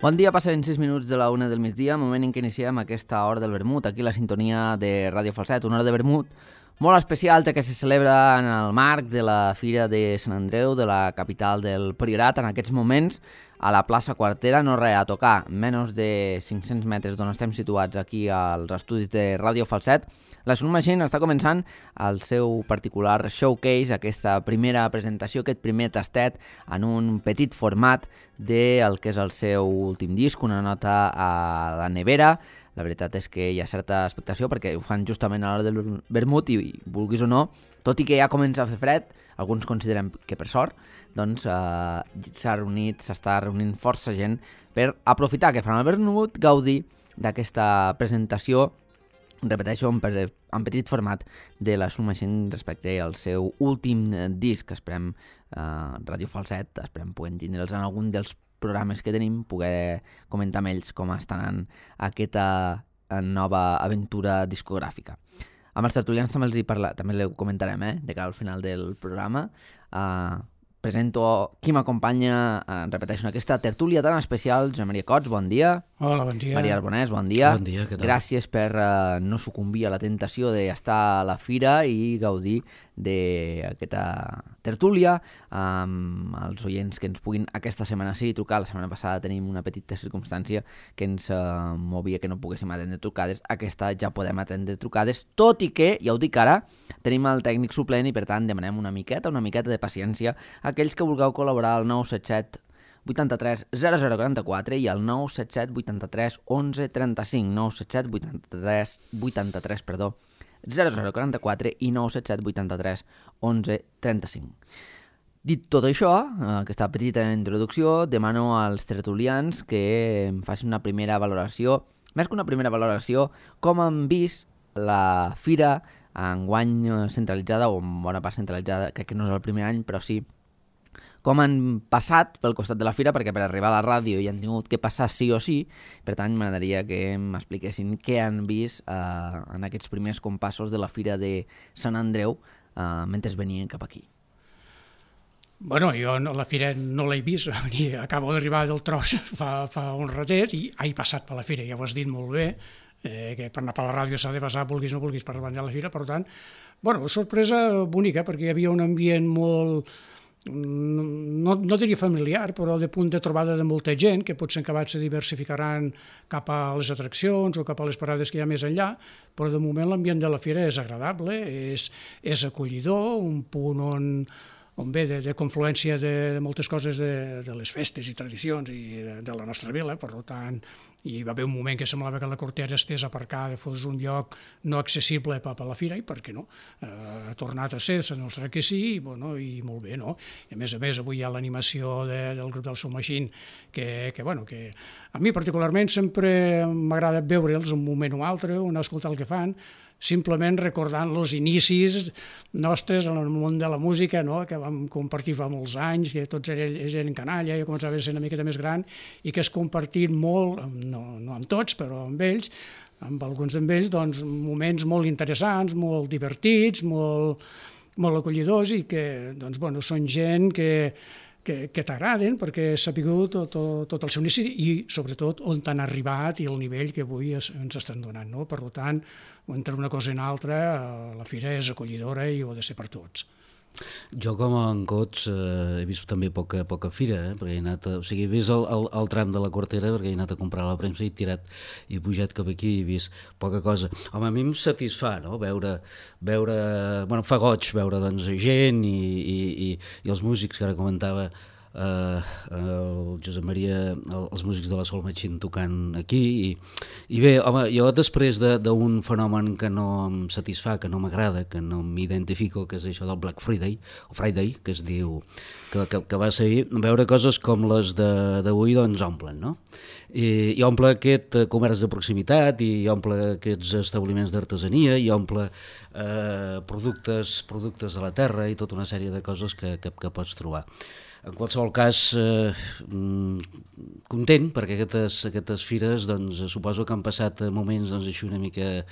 Bon dia, passen 6 minuts de la 1 del migdia, moment en què iniciem aquesta hora del vermut, aquí la sintonia de Ràdio Falset, una hora de vermut molt especial, que se celebra en el marc de la Fira de Sant Andreu, de la capital del Priorat, en aquests moments, a la plaça Quartera, no res, a tocar, menys de 500 metres d'on estem situats aquí als estudis de Ràdio Falset. La Sun Machine està començant el seu particular showcase, aquesta primera presentació, aquest primer tastet en un petit format del que és el seu últim disc, una nota a la nevera. La veritat és que hi ha certa expectació perquè ho fan justament a l'hora del vermut i vulguis o no, tot i que ja comença a fer fred, alguns considerem que per sort, doncs s'està reunint força gent per aprofitar que fan el vermut, gaudir d'aquesta presentació, repeteixo, en petit format de la Sun Machine respecte al seu últim disc. Esperem Ràdio Falset, esperem poder tindre'ls en algun dels programes que tenim, poder comentar amb ells com està anant aquesta nova aventura discogràfica. Amb els tertulians també ho comentarem, de cara al final del programa. Presento qui m'acompanya, repeteixo, en aquesta tertúlia tan especial. Josep Maria Cots, bon dia. Hola, bon dia. Maria Arbonès, bon dia. Bon dia, què tal? Gràcies per no sucumbir a la tentació d'estar a la fira i gaudir d'aquesta tertúlia amb els oients que ens puguin aquesta setmana sí trucar. La setmana passada tenim una petita circumstància que ens movia que no poguéssim atendre trucades. Aquesta ja podem atendre trucades, tot i que, ja ho dic ara, tenim el tècnic suplent i per tant demanem una miqueta de paciència a aquells que vulgueu col·laborar al 977 83 0044 i al 977 83 11 35 977 83 0044 i 977 83 11 35. Dit tot això, aquesta petita introducció, demano als tertulians que em facin una primera valoració, més que una primera valoració, com han vist la fira enguany centralitzada, o en bona part centralitzada, crec que no és el primer any, però sí, com han passat pel costat de la fira, perquè per arribar a la ràdio hi han tingut que passar sí o sí. Per tant, m'agradaria que m'expliquessin què han vist en aquests primers compassos de la fira de Sant Andreu mentre venien cap aquí. Bueno, jo la fira no l'he vist, acabo d'arribar del tros fa un ratet i he passat per la fira, ja ho has dit molt bé, que per anar per la ràdio s'ha de passar, vulguis o no vulguis, per davant de la fira. Per tant, bueno, sorpresa bonica, perquè hi havia un ambient molt, no diria familiar, però de punt de trobada de molta gent, que potser acabat se diversificaran cap a les atraccions o cap a les parades que hi ha més enllà, però de moment l'ambient de la fira és agradable, és acollidor, un punt on ve de confluència de moltes coses de les festes i tradicions i de la nostra vila. Per tant, hi va haver un moment que semblava que la Quartera estés aparcada, fos un lloc no accessible per a la fira, i per què no? Ha tornat a ser, s'ha demostrat que sí, i molt bé, no? I a més, avui hi ha l'animació del grup del Sun Machine, que a mi particularment sempre m'agrada veure'ls un moment o altre, anar a escoltar el que fan, simplement recordant els inicis nostres en el món de la música, no? Que vam compartir fa molts anys, que tots eren canalla, jo començava a ser una miqueta més gran, i que has compartit molt, no amb tots, però amb ells, amb alguns d'ells, doncs, moments molt interessants, molt divertits, molt acollidors, i que són gent que t'agraden perquè has sabut tot el seu inici i sobretot on t'han arribat i el nivell que avui ens estan donant, no? Per tant, entre una cosa i una altra, la fira és acollidora i ho ha de ser per tots. Jo com a en Cots he vist també poca fira, perquè he anat he vist el tram de la Quartera, perquè he anat a comprar la premsa i he pujat cap aquí i he vist poca cosa. Home, a mi em satisfà, no? Veure, fa goig veure gent i els músics que ara comentava el Josep Maria, els músics de la Sun Machine tocant aquí i bé, home, jo després d'un fenomen que no em satisfà, que no m'agrada, que no m'identifico, que és això del Black Friday o Friday, que es diu que va ser, veure coses com les d'avui doncs omplen, no? i omple aquest comerç de proximitat, i omple aquests establiments d'artesania, i omple productes de la terra i tota una sèrie de coses que pots trobar. En qualsevol cas, content, perquè aquestes fires doncs, suposo que han passat moments doncs, així una mica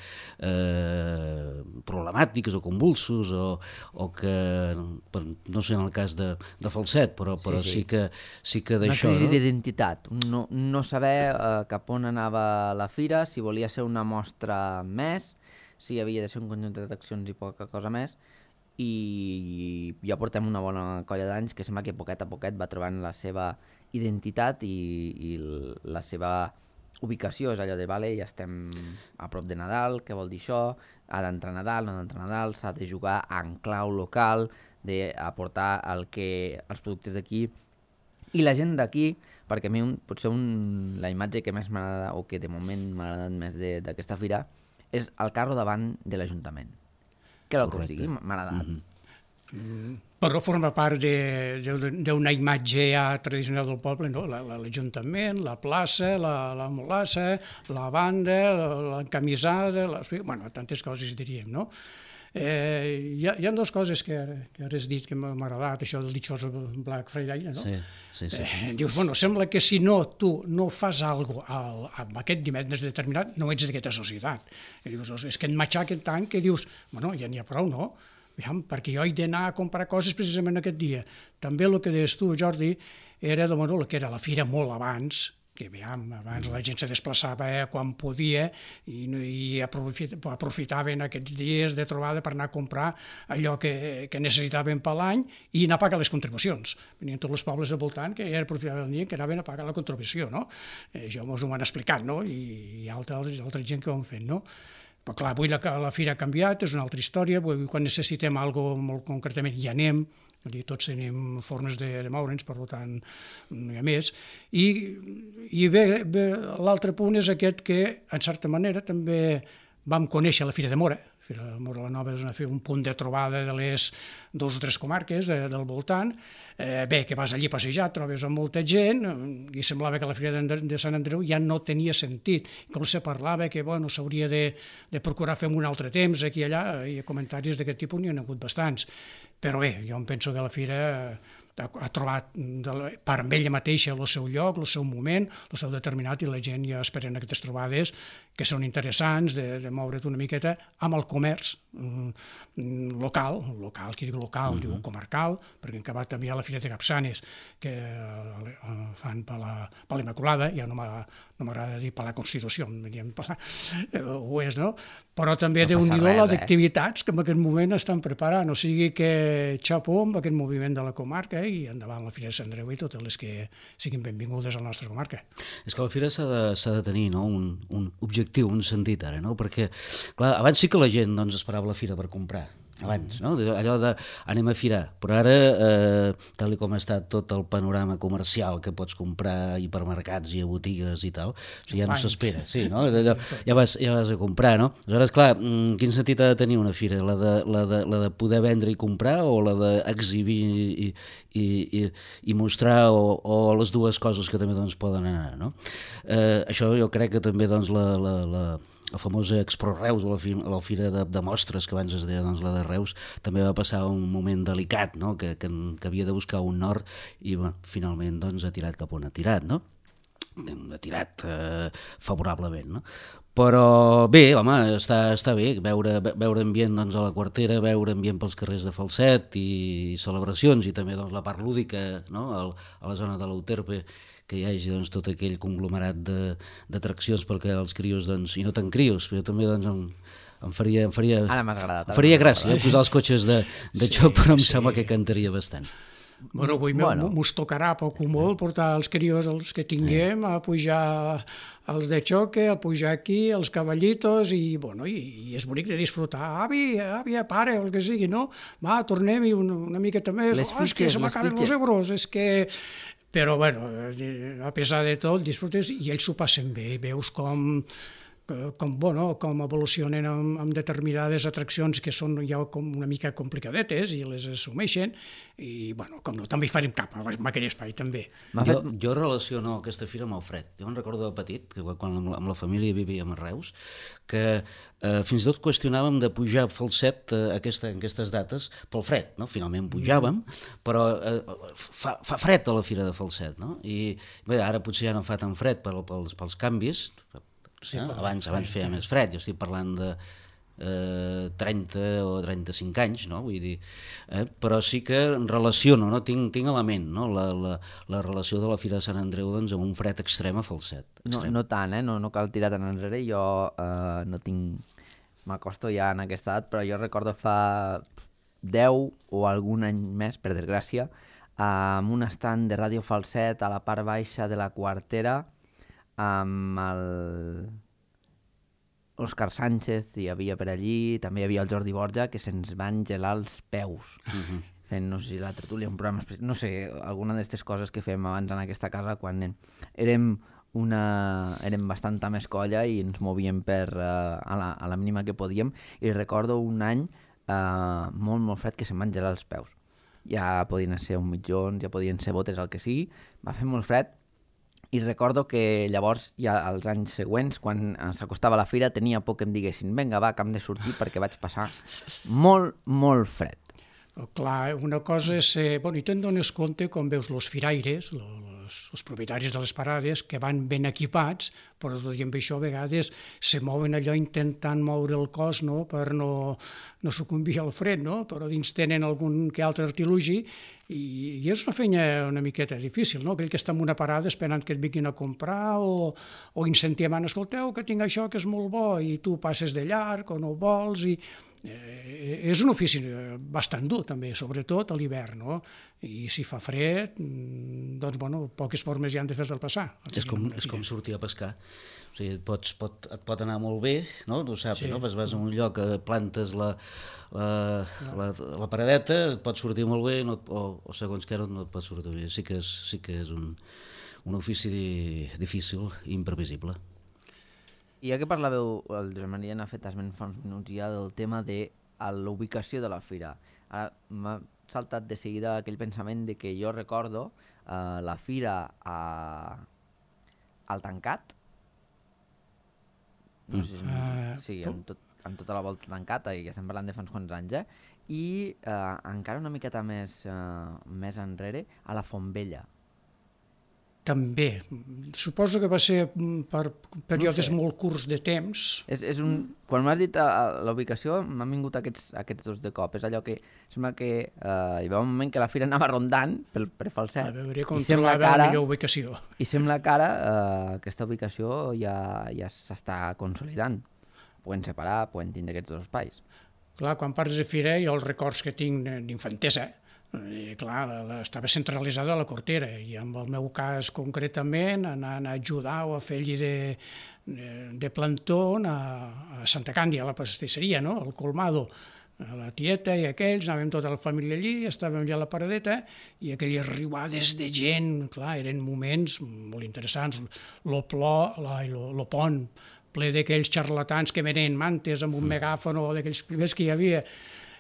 problemàtics o convulsos, o que, no sé en el cas de Falset, però sí que d'això... Una crisi d'identitat, no saber cap on anava la fira, si volia ser una mostra més, si havia de ser un conjunt d'atraccions i poca cosa més, i ja portem una bona colla d'anys que sembla que poquet a poquet va trobant la seva identitat i la seva ubicació. És allò de, vale, ja estem a prop de Nadal, què vol dir això? Ha d'entrar Nadal, no ha d'entrar Nadal, s'ha de jugar en clau local, d'aportar els productes d'aquí i la gent d'aquí, perquè a mi potser la imatge que més m'agrada o que de moment m'ha agradat més d'aquesta fira és el carro davant de l'Ajuntament. Què vol que us digui? M'ha agradat. Però forma part d'una imatge ja tradicional del poble, no? L'Ajuntament, la plaça, la molassa, la banda, l'encamisada, bueno, tantes coses diríem, no? Hi ha dues coses que ara has dit que m'ha agradat, això del ditxós Black Friday, no? Sí. Dius, bueno, sembla que si tu no fas alguna cosa amb aquest divendres determinat, no ets d'aquesta societat. I dius, és que et matxaquen tant que dius, bueno, ja n'hi ha prou, no? Perquè jo he d'anar a comprar coses precisament aquest dia. També el que deies tu, Jordi, era el que era la fira molt abans, que abans la gent se desplaçava quan podia i aprofitaven aquests dies de trobada per anar a comprar allò que necessitaven per l'any i anar a pagar les contribucions. Venien tots els pobles al voltant que ja aprofitaven el dia que anaven a pagar la contribució, no? Això ens ho han explicat, no? I altra gent que ho han fet, no? Però clar, avui la fira ha canviat, és una altra història, quan necessitem alguna cosa molt concretament hi anem, tots tenim formes de moure'ns, per tant no hi ha més. I bé, l'altre punt és aquest que, en certa manera, també vam conèixer la Fira de Móra. La Fira de Móra la Nova és un punt de trobada de les 2 o 3 comarques del voltant. Bé, que vas allí a passejar, trobes amb molta gent, i semblava que la Fira de Sant Andreu ja no tenia sentit. Inclús se parlava que s'hauria de procurar fer un altre temps aquí i allà, i comentaris d'aquest tipus n'hi ha hagut bastants. Però bé, jo em penso que la Fira ha trobat per amb ella mateixa el seu lloc, el seu moment, el seu determinat, i la gent ja esperen aquestes trobades que són interessants, de moure't una miqueta amb el comerç local, qui diu local, diu comarcal, perquè en acabat també hi ha la Fira de Capçanes, que fan per l'Immaculada, ja no m'agrada dir per la Constitució, ho és, no? Però també déu-n'hi-do d'activitats que en aquest moment estan preparant, o sigui que xapó amb aquest moviment de la comarca i endavant la Fira de Sant Andreu i totes les que siguin benvingudes a la nostra comarca. És que la Fira s'ha de tenir, no?, un objectiu, un sentit ara, no? Perquè, clar, abans sí que la gent doncs, esperava la Fira per comprar, abans, no? Allò de anem a firar, però ara, tal com ha estat tot el panorama comercial que pots comprar a hipermercats i a botigues i tal, o sigui, ja no s'espera, sí, no? Ja vas a comprar, no? Aleshores, clar, quin sentit ha de tenir una fira? La de poder vendre i comprar, o la d'exhibir i mostrar, o les dues coses que també doncs, poden anar, no? Això jo crec que també doncs, la famosa Expro Reus, o la fira de mostres, que abans es deia doncs, la de Reus, també va passar un moment delicat, no? que havia de buscar un nord i finalment doncs, ha tirat cap on ha tirat, no? Ha tirat favorablement, no? Però bé, home, està bé veure ambient doncs, a la Quartera, veure ambient pels carrers de Falset i celebracions, i també doncs, la part lúdica, no? A la zona de l'Euterpe, que hi hagi doncs, tot aquell conglomerat d'atraccions perquè els crios, doncs, i no tan crios, però també doncs, em faria gràcia posar els cotxes de xoc, però em sembla que cantaria bastant. Bueno, avui mos tocarà poc o molt portar els crios, els que tinguem, a pujar els de xoque, a pujar aquí, els cavallitos, i és bonic de disfrutar. Àvia, pare, o el que sigui, no? Va, tornem-hi una miqueta més. És que se m'acaben els euros, és que... Però, bueno, a pesar de tot, disfrutes i ells s'ho passen bé. Veus com com evolucionen amb determinades atraccions que són ja com una mica complicadetes i les assumeixen, i com no, també hi farem cap amb aquell espai també. Jo relaciono aquesta fira amb el fred. Jo em recordo de petit, que quan amb la família vivíem a Reus, que fins i tot qüestionàvem de pujar a Falset en aquestes dates pel fred, no? Finalment pujàvem, però fa fred a la fira de Falset, no? I bé, ara potser ja no fa tan fred pels canvis, abans feia més fred, jo estic parlant de 30 o 35 anys, no? Vull dir, però sí que relaciono, no? Tinc element, no? La relació de la Fira de Sant Andreu doncs, amb un fred extrem a Falset. No tant, no cal tirar tant enrere. Jo no tinc... M'acosto ja en aquesta edat, però jo recordo fa 10 o algun any més, per desgràcia, amb un stand de Ràdio Falset a la part baixa de la Quartera, amb l'Òscar Sánchez hi havia per allí, també hi havia el Jordi Borja, que se'ns van gelar els peus, fent, no sé si la tertúlia, un programa especial, no sé, alguna d'aquestes coses que fem abans en aquesta casa, quan érem bastanta més colla i ens movíem a la mínima que podíem, i recordo un any molt, molt fred que se'm van gelar els peus. Ja podien ser un mitjons, ja podien ser botes, el que sigui, va fer molt fred. I recordo que llavors, ja als anys següents, quan s'acostava la fira, tenia por que em diguessin vinga, va, que hem de sortir perquè vaig passar molt, molt fred. Clar, una cosa és ser... I te'n dones compte com veus els firaires, els propietaris de les parades, que van ben equipats, però tot i amb això a vegades se mouen allò intentant moure el cos, no?, per no sucumbir al fred, no?, però dins tenen algun que altre artilugi, i és una feina una miqueta difícil, no?, aquell que està en una parada esperant que et vinguin a comprar o incentivant, escolteu, que tinc això que és molt bo, i tu passes de llarg o no ho vols, i és un ofici bastant dur també, sobretot a l'hivern, no? I si fa fred, doncs poques formes hi han de fer-te'l passar. És com sortir a pescar. O sigui, et pot anar molt bé, no? Tu saps, sí. No? Vas a un lloc, plantes la paradeta, et pot sortir molt bé, o segons què no et pot sortir bé. Sí que és un ofici difícil i imprevisible. I ja que parlàveu, el Josep Maria n'ha fet esment fa uns minuts ja del tema de l'ubicació de la fira. Ara m'ha saltat de seguida aquell pensament de que jo recordo la fira al tancat, no sé si amb tota la volta tancata, i ja estem parlant de fa uns quants anys, i encara una miqueta més enrere, a la Font Vella. També. Suposo que va ser per períodes molt curts de temps. Quan m'has dit la ubicació, m'han vingut aquests dos de cop. És allò que sembla que hi va un moment que la fira anava rondant per Falset. A veure com trobava la millor ubicació. I sembla que ara aquesta ubicació ja s'està consolidant. Poden separar, poden tindre aquests dos espais. Clar, quan parles de fira, jo els records que tinc d'infantesa, i clar, estava centralitzada a la Cortera, i en el meu cas concretament anant a ajudar o a fer-hi de plantó a Santa Càndia, a la pastisseria, no?, al Colmado, a la tieta i aquells, anàvem tota la família allí, estàvem allà a la paradeta, i aquelles riuades de gent, clar, eren moments molt interessants, lo pont ple d'aquells xarlatans que venen mantes amb un megàfon o d'aquells primers que hi havia.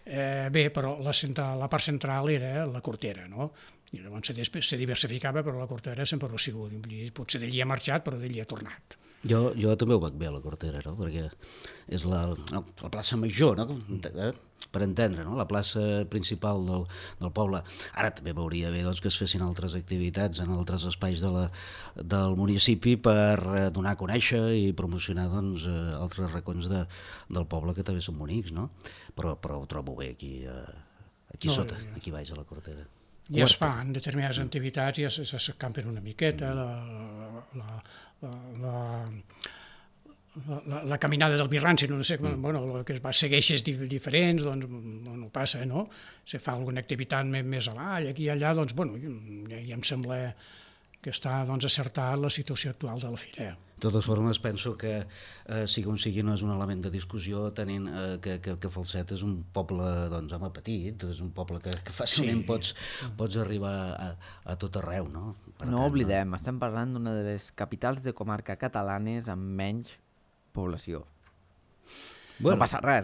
Bé, però la part central era la Cortera, no? I llavors se diversificava, però la Cortera sempre ho ha sigut. Potser d'allí ha marxat, però d'allí ha tornat. Jo també ho vaig bé a la Cortera, no? Perquè és la plaça major, no? Per entendre, no? La plaça principal del poble. Ara també veuria bé doncs, que es fessin altres activitats en altres espais del municipi per donar a conèixer i promocionar doncs, altres racons del poble que també són bonics, no? Però ho trobo bé aquí sota, aquí baix a la Cortera. Ja es fan determinades activitats, ja s'escampen una miqueta, la caminada del Birranci, no sé, que es va seguir eixes diferents, doncs no passa, no? Se fa alguna activitat més avall, aquí i allà, doncs, ja em sembla que està acertat la situació actual de la fira. De totes formes, penso que sigui com sigui no és un element de discussió, tenint que Falset és un poble, doncs, home, petit, és un poble que fàcilment pots arribar a tot arreu, no? No oblidem, estem parlant d'una de les capitals de comarca catalanes amb menys població. Bueno. No passa res,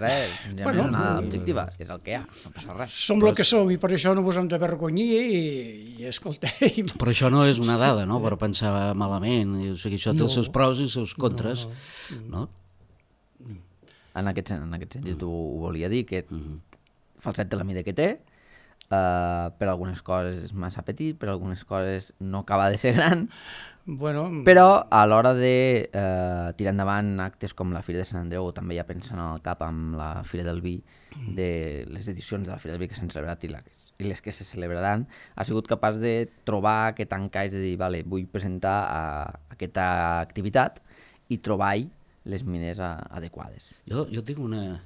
no és una objectiva, és el que hi ha, no passa res. Som el que som i per això no ens hem de vergonyir i escolteu... Però això no és una dada, no?, per pensar malament. O sigui, això té els seus pros i els seus contres, no? En aquest sentit ho volia dir, que Falset té la mida que té, per algunes coses és massa petit, per algunes coses no acaba de ser gran, però a l'hora de tirar endavant actes com la Fira de Sant Andreu, o també ja pensant al cap amb la Fira del Vi, de les edicions de la Fira del Vi que s'han celebrat i les que se celebraran, ha sigut capaç de trobar aquest encaix de dir, vale, vull presentar aquesta activitat i trobar-hi les mines adequades. Jo tinc una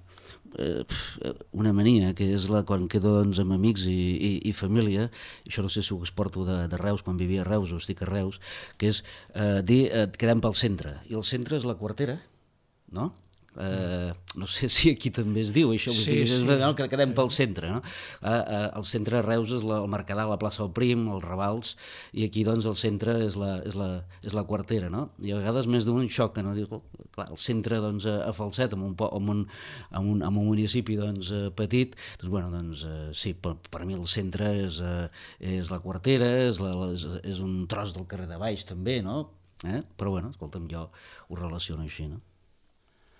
mania, que és quan quedo doncs, amb amics i família, això no sé si ho exporto de Reus, quan vivia a Reus o estic a Reus, que és dir quedem pel centre, i el centre és la Quartera, no? No sé si aquí també es diu això, que quedem pel centre, no? El centre de Reus és el Mercadal, la plaça del Prim, els Ravals, i aquí doncs el centre és la Quartera, no? I a vegades més d'un xoca, no? Diu, clar, el centre doncs, a Falset, en un municipi doncs, petit, doncs, bueno, doncs, sí, per mi el centre és la Quartera, és un tros del carrer de baix també, no? Però bueno, escolta'm, jo ho relaciono així, no?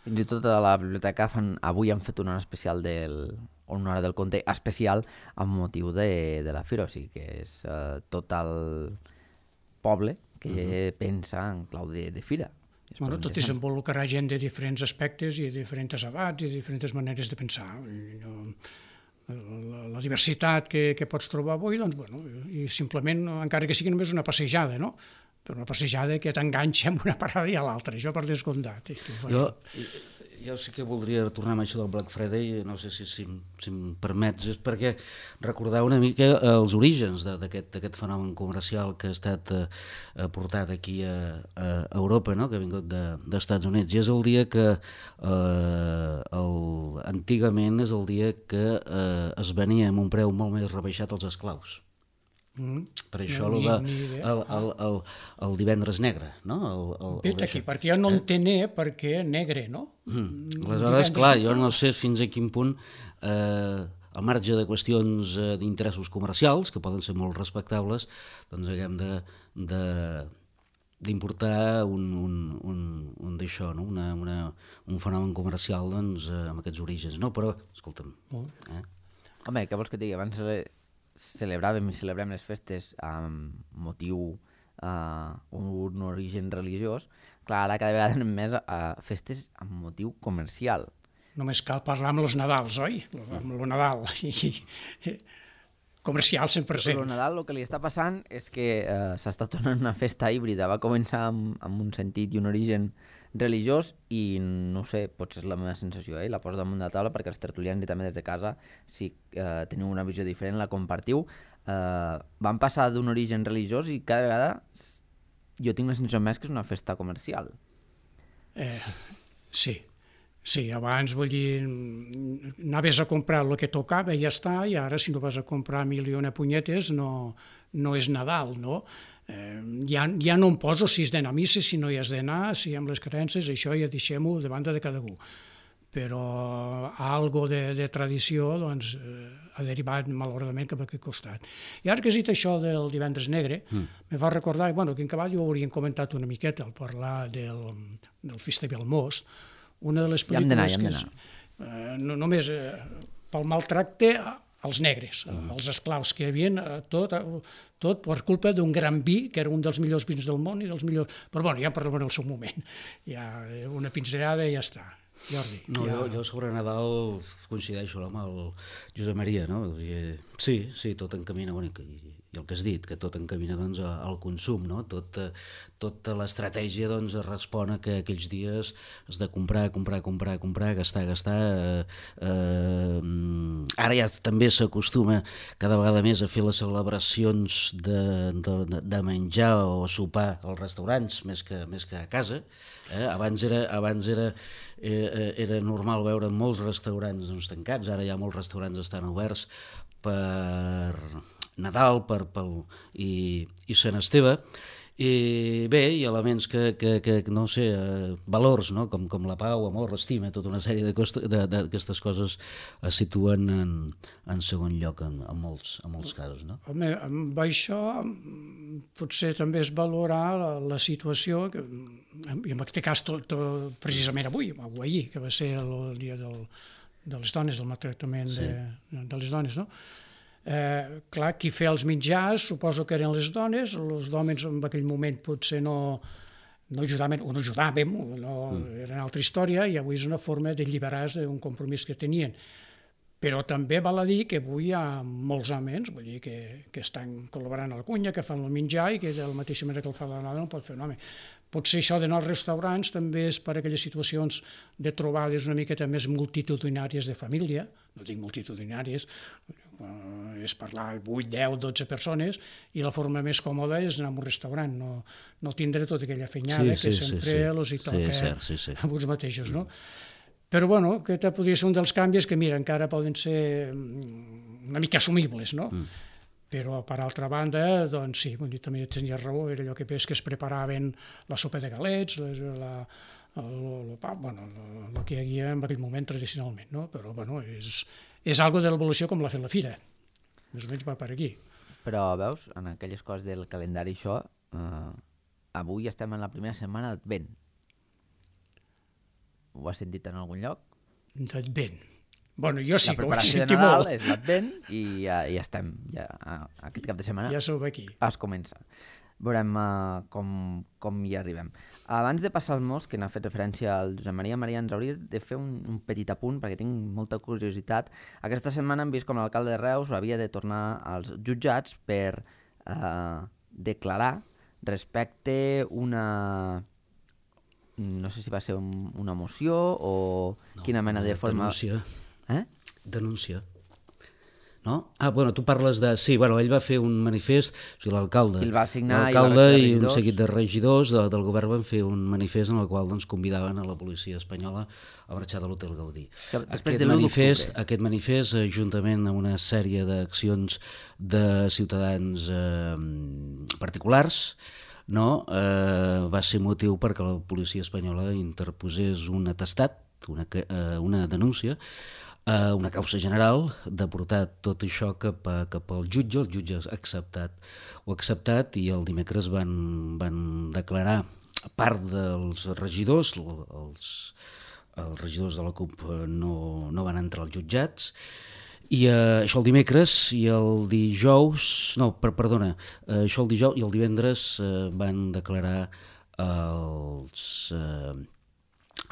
Fins i tot a la biblioteca avui han fet una hora especial una hora del conte especial amb motiu de la Fira, o sigui que és tot el poble que pensa en clau de Fira. Tot desenvoluparà gent de diferents aspectes i de diferents abats i de diferents maneres de pensar. La diversitat que pots trobar avui, doncs, bueno, i simplement, encara que sigui només una passejada, no? Però una passejada que t'enganxa amb una parada i a l'altra, això per descomptat. Jo sí que voldria tornar amb això del Black Friday, no sé si em permets, és perquè recordar una mica els orígens d'aquest fenomen comercial que ha estat portat aquí a Europa, no? Que ha vingut d'Estats Units, i és el dia que antigament és el dia que es venia amb un preu molt més rebaixat als esclaus. Per això el divendres negre, no? Vet aquí, perquè jo no entené per què negre, no? Aleshores, clar, jo no sé fins a quin punt, al marge de qüestions d'interessos comercials, que poden ser molt respectables, doncs haguem d'importar un d'això, no? Un fenomen comercial doncs, amb aquests orígens, no? Però, escolta'm... Home, què vols que et digui? Abans celebràvem i celebrem les festes amb motiu un origen religiós. Clar, ara cada vegada anem més a festes amb motiu comercial. Només cal parlar amb els Nadals, oi? Amb el Nadal. Comercial 100%. El Nadal el que li està passant és que s'està tornant una festa híbrida. Va començar amb un sentit i un origen religiós i no sé, potser és la meva sensació, la poso damunt de la taula perquè els tertulians i també des de casa, si teniu una visió diferent, la compartiu. Van passar d'un origen religiós i cada vegada jo tinc la sensació més que és una festa comercial. Sí, abans, vull dir, anaves a comprar el que tocava i ja està, i ara si no vas a comprar milions de punyetes no és Nadal, no? Ja no em poso si has d'anar a missa, si no hi has d'anar, si amb les creences, això ja deixem-ho de banda de cada un. Però algo de tradició doncs, ha derivat malauradament cap a aquest costat. I ara que has dit això del divendres negre, me va recordar, bueno, que en Cavall ho hauríem comentat una miqueta al parlar del Festival Most, una de les pel·lícules que només pel maltracte als negres, als esclaus que hi havia, tot per culpa d'un gran vi, que era un dels millors vins del món i dels millors... Però bueno, ja en parlem en el seu moment. Ja una pinzellada i ja està. Jordi. Jo sobre Nadal coincideixo amb el Josep Maria, no? Sí, tot encamina, i el que has dit, que tot encamina doncs, al consum, no? Tota l'estratègia doncs, respon a que aquells dies has de comprar, gastar. Ara ja també s'acostuma cada vegada més a fer les celebracions de menjar o sopar als restaurants més que a casa. Abans era normal veure molts restaurants tancats, ara ja molts restaurants estan oberts per Nadal i Sant Esteve, I bé, hi ha elements que no sé, valors, no? com la pau, amor, l'estima, tota una sèrie d'aquestes coses es situen en segon lloc en molts casos. No? Home, amb això potser també és valorar la situació, i en aquest cas precisament avui, o ahir, que va ser el dia de les dones, del maltractament de les dones, no? Clar, qui feia els mitjans suposo que eren les dones, els homes en aquell moment potser no ajudaven, o no ajudàvem, era una altra història, i avui és una forma d'alliberar-se d'un compromís que tenien. Però també val a dir que avui hi ha molts homes, vull dir, que estan col·laborant a la cuina, que fan el menjar i que de la mateixa manera que el fa la dona no pot fer un home. Potser això d'anar als restaurants també és per aquelles situacions de trobades una miqueta més multitudinàries de família, no dic multitudinàries, és parlar 8, 10, 12 persones, i la forma més còmoda és anar a un restaurant, no tindre tota aquella fenyada que sempre els hi toca a uns mateixos, no? Però, bueno, aquest podria ser un dels canvis que, mira, encara poden ser una mica assumibles, no? Però, per altra banda, doncs sí, també tenia raó, era allò que es preparaven la sopa de galets, el pa, bueno, el que hi havia en aquell moment tradicionalment, no? Però, bueno, és algo de l'evolució com l'ha fet la fira, més o menys va per aquí. Però, veus, en aquelles coses del calendari això, avui estem en la primera setmana d'Advent. Ho has sentit en algun lloc? D'Advent. Bueno, jo sí que ho he sentit molt. La preparació de Nadal és l'Advent i ja estem, aquest cap de setmana ja som aquí. Es comença. Veurem com hi arribem. Abans de passar al mos, que n'ha fet referència al Josep Maria, ens hauria de fer un petit apunt, perquè tinc molta curiositat. Aquesta setmana hem vist com l'alcalde de Reus havia de tornar als jutjats per declarar respecte una... no sé si va ser una moció o quina mena de forma... Denúncia. Denúncia. No? Bueno, tu parles de... Sí, bueno, ell va fer un manifest, o sigui, l'alcalde. El va signar i un seguit de regidors del govern van fer un manifest en el qual doncs, convidaven a la policia espanyola a marxar de l'Hotel Gaudí. Aquest manifest, juntament amb una sèrie d'accions de ciutadans particulars, no? Va ser motiu perquè la policia espanyola interposés un atestat, una denúncia, una causa general, de portar tot això cap al jutge. El jutge ha acceptat i el dimecres van declarar, a part dels regidors, els regidors de la CUP no van entrar als jutjats, i això el dimecres, i el dijous, això el dijous i el divendres van declarar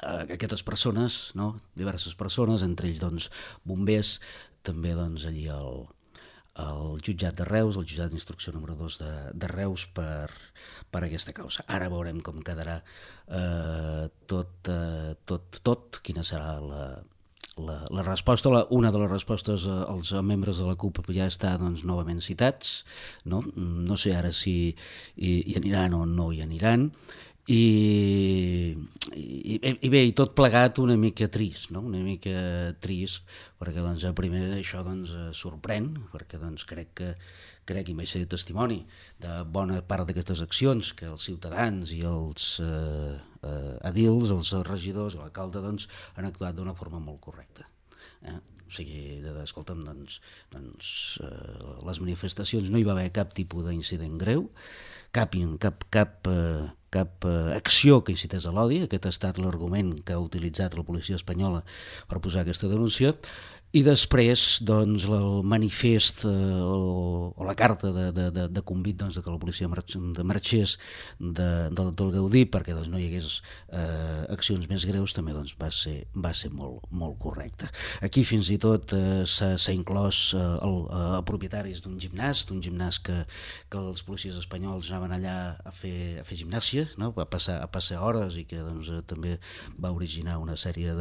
aquestes persones, no? Diverses persones, entre ells doncs, bombers, també doncs, allí al jutjat de Reus, el jutjat d'instrucció número 2 de Reus per aquesta causa. Ara veurem com quedarà tot, quina serà la resposta. Una de les respostes als membres de la CUP ja està doncs, novament citats, no sé ara si hi aniran o no hi aniran, i bé, i tot plegat una mica trist, no? Una mica trist, perquè doncs, primer això doncs, sorprèn, perquè doncs, crec i vaig ser testimoni de bona part d'aquestes accions que els ciutadans i els edils, els regidors i l'alcalde doncs, han actuat d'una forma molt correcta. O sigui, escolta'm, les manifestacions no hi va haver cap tipus d'incident greu, cap acció que incités a l'odi. Aquest ha estat l'argument que ha utilitzat la policia espanyola per posar aquesta denúncia. I després, doncs, el manifest o la carta de convit doncs, que la policia marxés del Gaudí perquè doncs, no hi hagués accions més greus també doncs, va ser molt correcte. Aquí fins i tot s'ha inclòs propietaris d'un gimnàs que els policies espanyols anaven allà a fer gimnàsia, no? a passar hores i que doncs, també va originar una sèrie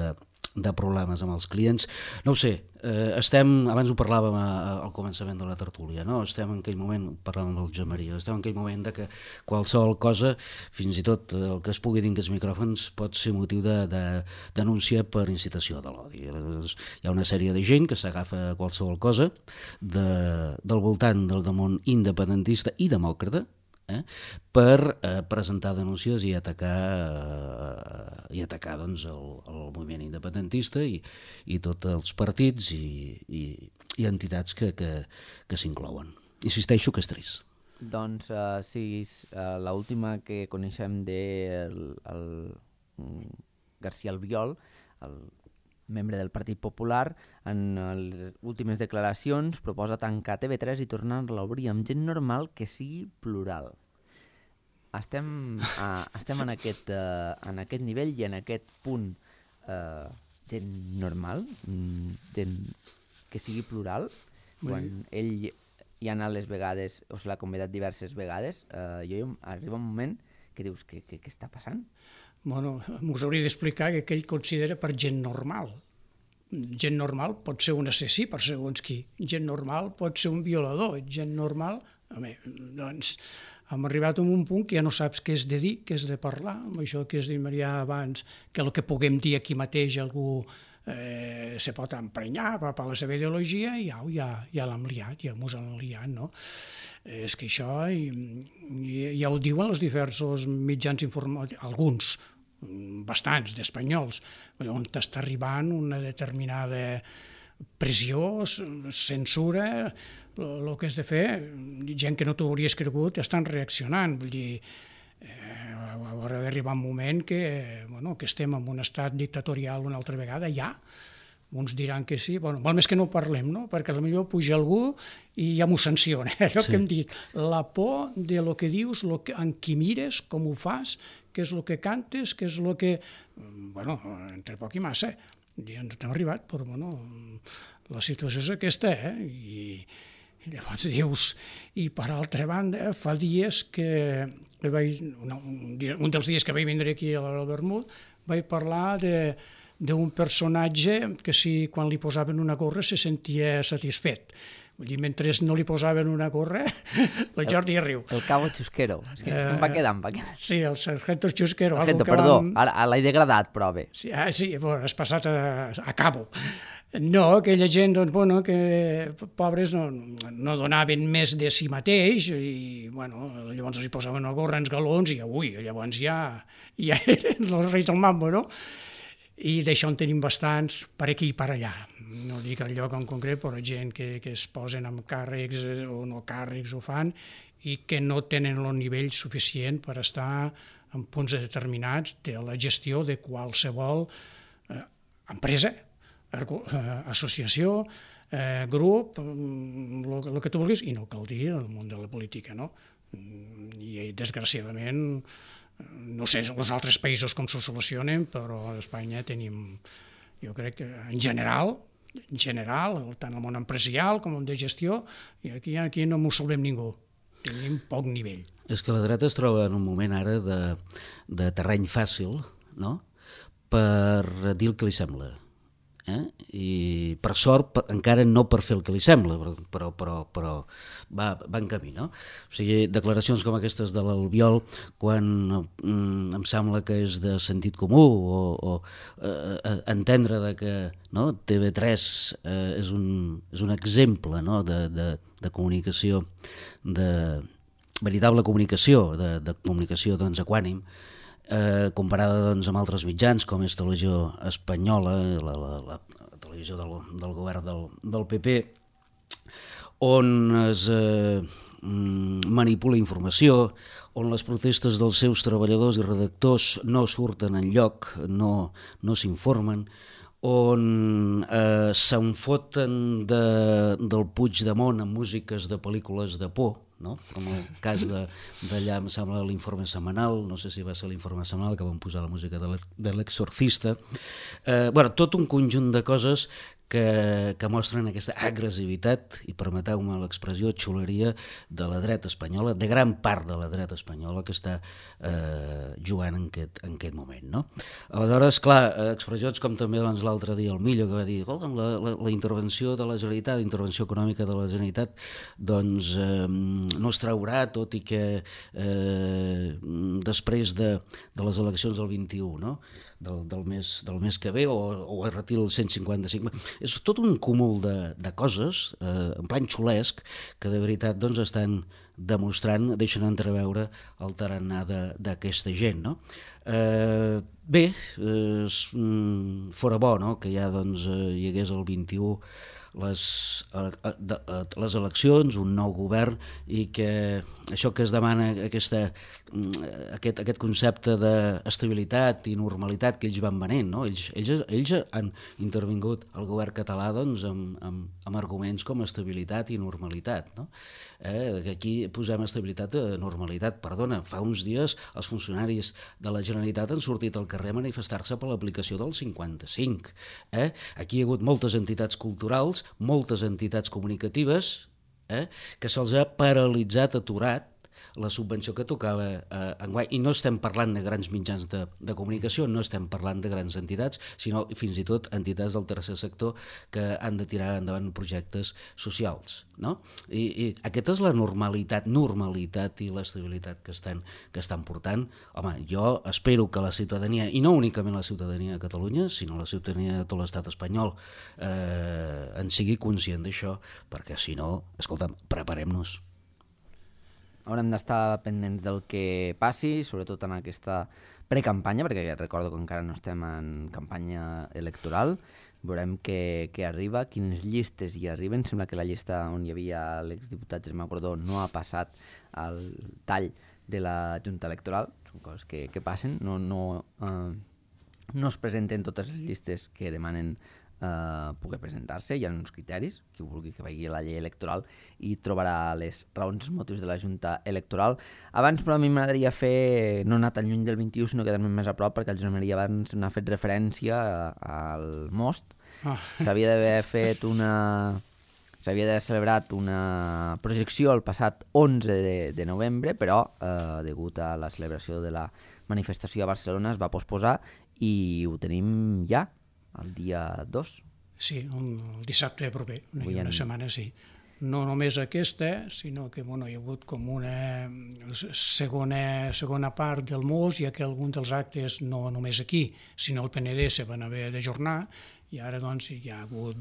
de problemes amb els clients. No ho sé, abans ho parlàvem al començament de la tertúlia, no? Estem en aquell moment, parlàvem amb el Josep Maria, estem en aquell moment de que qualsevol cosa, fins i tot el que es pugui dir en aquests micròfons, pot ser motiu de denúncia per incitació de l'odi. Hi ha una sèrie de gent que s'agafa qualsevol cosa del voltant del món independentista i demòcrata, per presentar denúncies i atacar doncs, el moviment independentista i tots els partits i entitats que s'inclouen. Insisteixo que és trist. Doncs sí, l'última que coneixem del García Albiol, el membre del Partit Popular, en les últimes declaracions proposa tancar TV3 i tornar-la a obrir amb gent normal que sigui plural. Estem en aquest nivell i en aquest punt gent normal, gent que sigui plural, quan ell hi ha anat les vegades, o se l'ha convidat diverses vegades, arriba un moment que dius, què està passant? Bueno, m'us hauria d'explicar que ell considera per gent normal. Gent normal pot ser un assassí per segons qui. Gent normal pot ser un violador. Gent normal... Doncs hem arribat a un punt que ja no saps què és de dir, què és de parlar, amb això que es diria abans, que el que puguem dir aquí mateix algú se pot emprenyar per la seva ideologia i ja l'hem liat, ja mos han liat, no? És que això ja ho diuen els diversos mitjans informatius, alguns, bastants d'espanyols, on està arribant una determinada pressió, censura, el que has de fer, gent que no t'ho hauries cregut estan reaccionant, vull dir, haurà d'arribar un moment que estem en un estat dictatorial una altra vegada, ja. Uns diran que sí, val més que no parlem, no? Perquè potser puja algú i ja m'ho sanciona. Allò que hem dit, la por de lo que dius, en qui mires, com ho fas, què és el que cantes, què és el que... entre poc i massa, ja ens hem arribat, però la situació és aquesta, I llavors dius... I per altra banda, fa dies que un dels dies que vaig vindre aquí a la Vermut, vaig parlar d'un personatge que quan li posaven una gorra se sentia satisfet. Vull dir, mentre no li posaven una gorra, el Jordi riu. El Cabo Chusquero. És que em va quedar. Sí, el Sargento Chusquero. Perdó, ara l'he degradat, però bé. Sí, has passat a Cabo. No, aquella gent, que pobres no donaven més de si mateix i, llavors els posaven una gorra en galons i llavors ja eren els reis del mambo, no? I d'això en tenim bastants per aquí i per allà. No dic el lloc en concret, però gent que es posen amb càrrecs o no càrrecs ho fan i que no tenen el nivell suficient per estar en punts determinats de la gestió de qualsevol empresa, associació, grup, el que tu vulguis, i no cal dir el món de la política, no? I desgraciadament, no sé els altres països com s'ho solucionen, però a Espanya tenim, jo crec que en general, tant el món empresarial com el de gestió, i aquí no m'ho salvem ningú, tenim poc nivell. És que la dreta es troba en un moment ara de terreny fàcil, no?, per dir el que li sembla. I per sort encara no per fer el que li sembla, però va en camí, no? O sigui, declaracions com aquestes de l'Albiol, quan em sembla que és de sentit comú o entendre que TV3 és un exemple de comunicació, de veritable comunicació, de comunicació equànime, comparada amb altres mitjans com és Televisió Espanyola, la televisió del govern del PP, on es manipula informació, on les protestes dels seus treballadors i redactors no surten enlloc, no s'informen, on s'enfoten del Puigdemont amb músiques de pel·lícules de por, no? Com el cas d'allà, em sembla, l'informe setmanal, no sé si va ser l'informe setmanal que van posar la música de l'Exorcista. Tot un conjunt de coses que mostren aquesta agressivitat, i permeteu-me l'expressió, xuleria de la dreta espanyola, de gran part de la dreta espanyola que està jugant en aquest moment, no? Aleshores, clar, expressions com també l'altre dia el Millo, que va dir, escolta'm, la intervenció de la Generalitat, la intervenció econòmica de la Generalitat, doncs no es traurà, tot i que després de les eleccions del 21, no?, del mes que ve, o es retira el 155. És tot un cúmul de coses, en plan xulesc, que de veritat estan demostrant, deixen entreveure el tarannà d'aquesta gent, no? Bé, fora bo, no?, que ja doncs, hi hagués el 21 les eleccions, un nou govern, i que això que es demana, aquest concepte d'estabilitat i normalitat que ells van venent, no? Ells han intervingut al govern català doncs, amb arguments com estabilitat i normalitat, no? Aquí posem estabilitat i normalitat. Perdona, fa uns dies els funcionaris de la Generalitat han sortit al carrer a manifestar-se per l'aplicació del 55. Aquí hi ha hagut moltes entitats culturals, moltes entitats comunicatives, que se'ls ha paralitzat, aturat la subvenció que tocava enguany. I no estem parlant de grans mitjans de comunicació, no estem parlant de grans entitats, sinó fins i tot entitats del tercer sector que han de tirar endavant projectes socials, no? I aquesta és la normalitat i l'estabilitat que estan portant. Home, jo espero que la ciutadania, i no únicament la ciutadania de Catalunya, sinó la ciutadania de tot l'estat espanyol, en sigui conscient d'això, perquè si no, escolta'm, preparem-nos. Haurem d'estar pendents del que passi, sobretot en aquesta precampanya, perquè recordo que encara no estem en campanya electoral. Veurem què arriba, quines llistes hi arriben. Sembla que la llista on hi havia l'exdiputat Germà Gordó no ha passat al tall de la Junta Electoral. Són coses que passen. No es presenten totes les llistes que demanen poder presentar-se. Hi ha uns criteris, qui vulgui que vagi a la llei electoral i trobarà les raons, els motius de la Junta Electoral. Abans, però, a mi m'agradaria no anar tan lluny del 21, sinó quedar-me més a prop, perquè el Josep Maria abans n'ha fet referència al Most. S'havia d'haver celebrat una projecció el passat 11 de novembre, però degut a la celebració de la manifestació a Barcelona es va posposar i ho tenim ja, el dia 2. Sí, el dissabte proper, una setmana, sí. No només aquesta, sinó que hi ha hagut com una segona part del MOS, ja que alguns dels actes, no només aquí, sinó al PND, se van haver d'ajornar, i ara hi ha hagut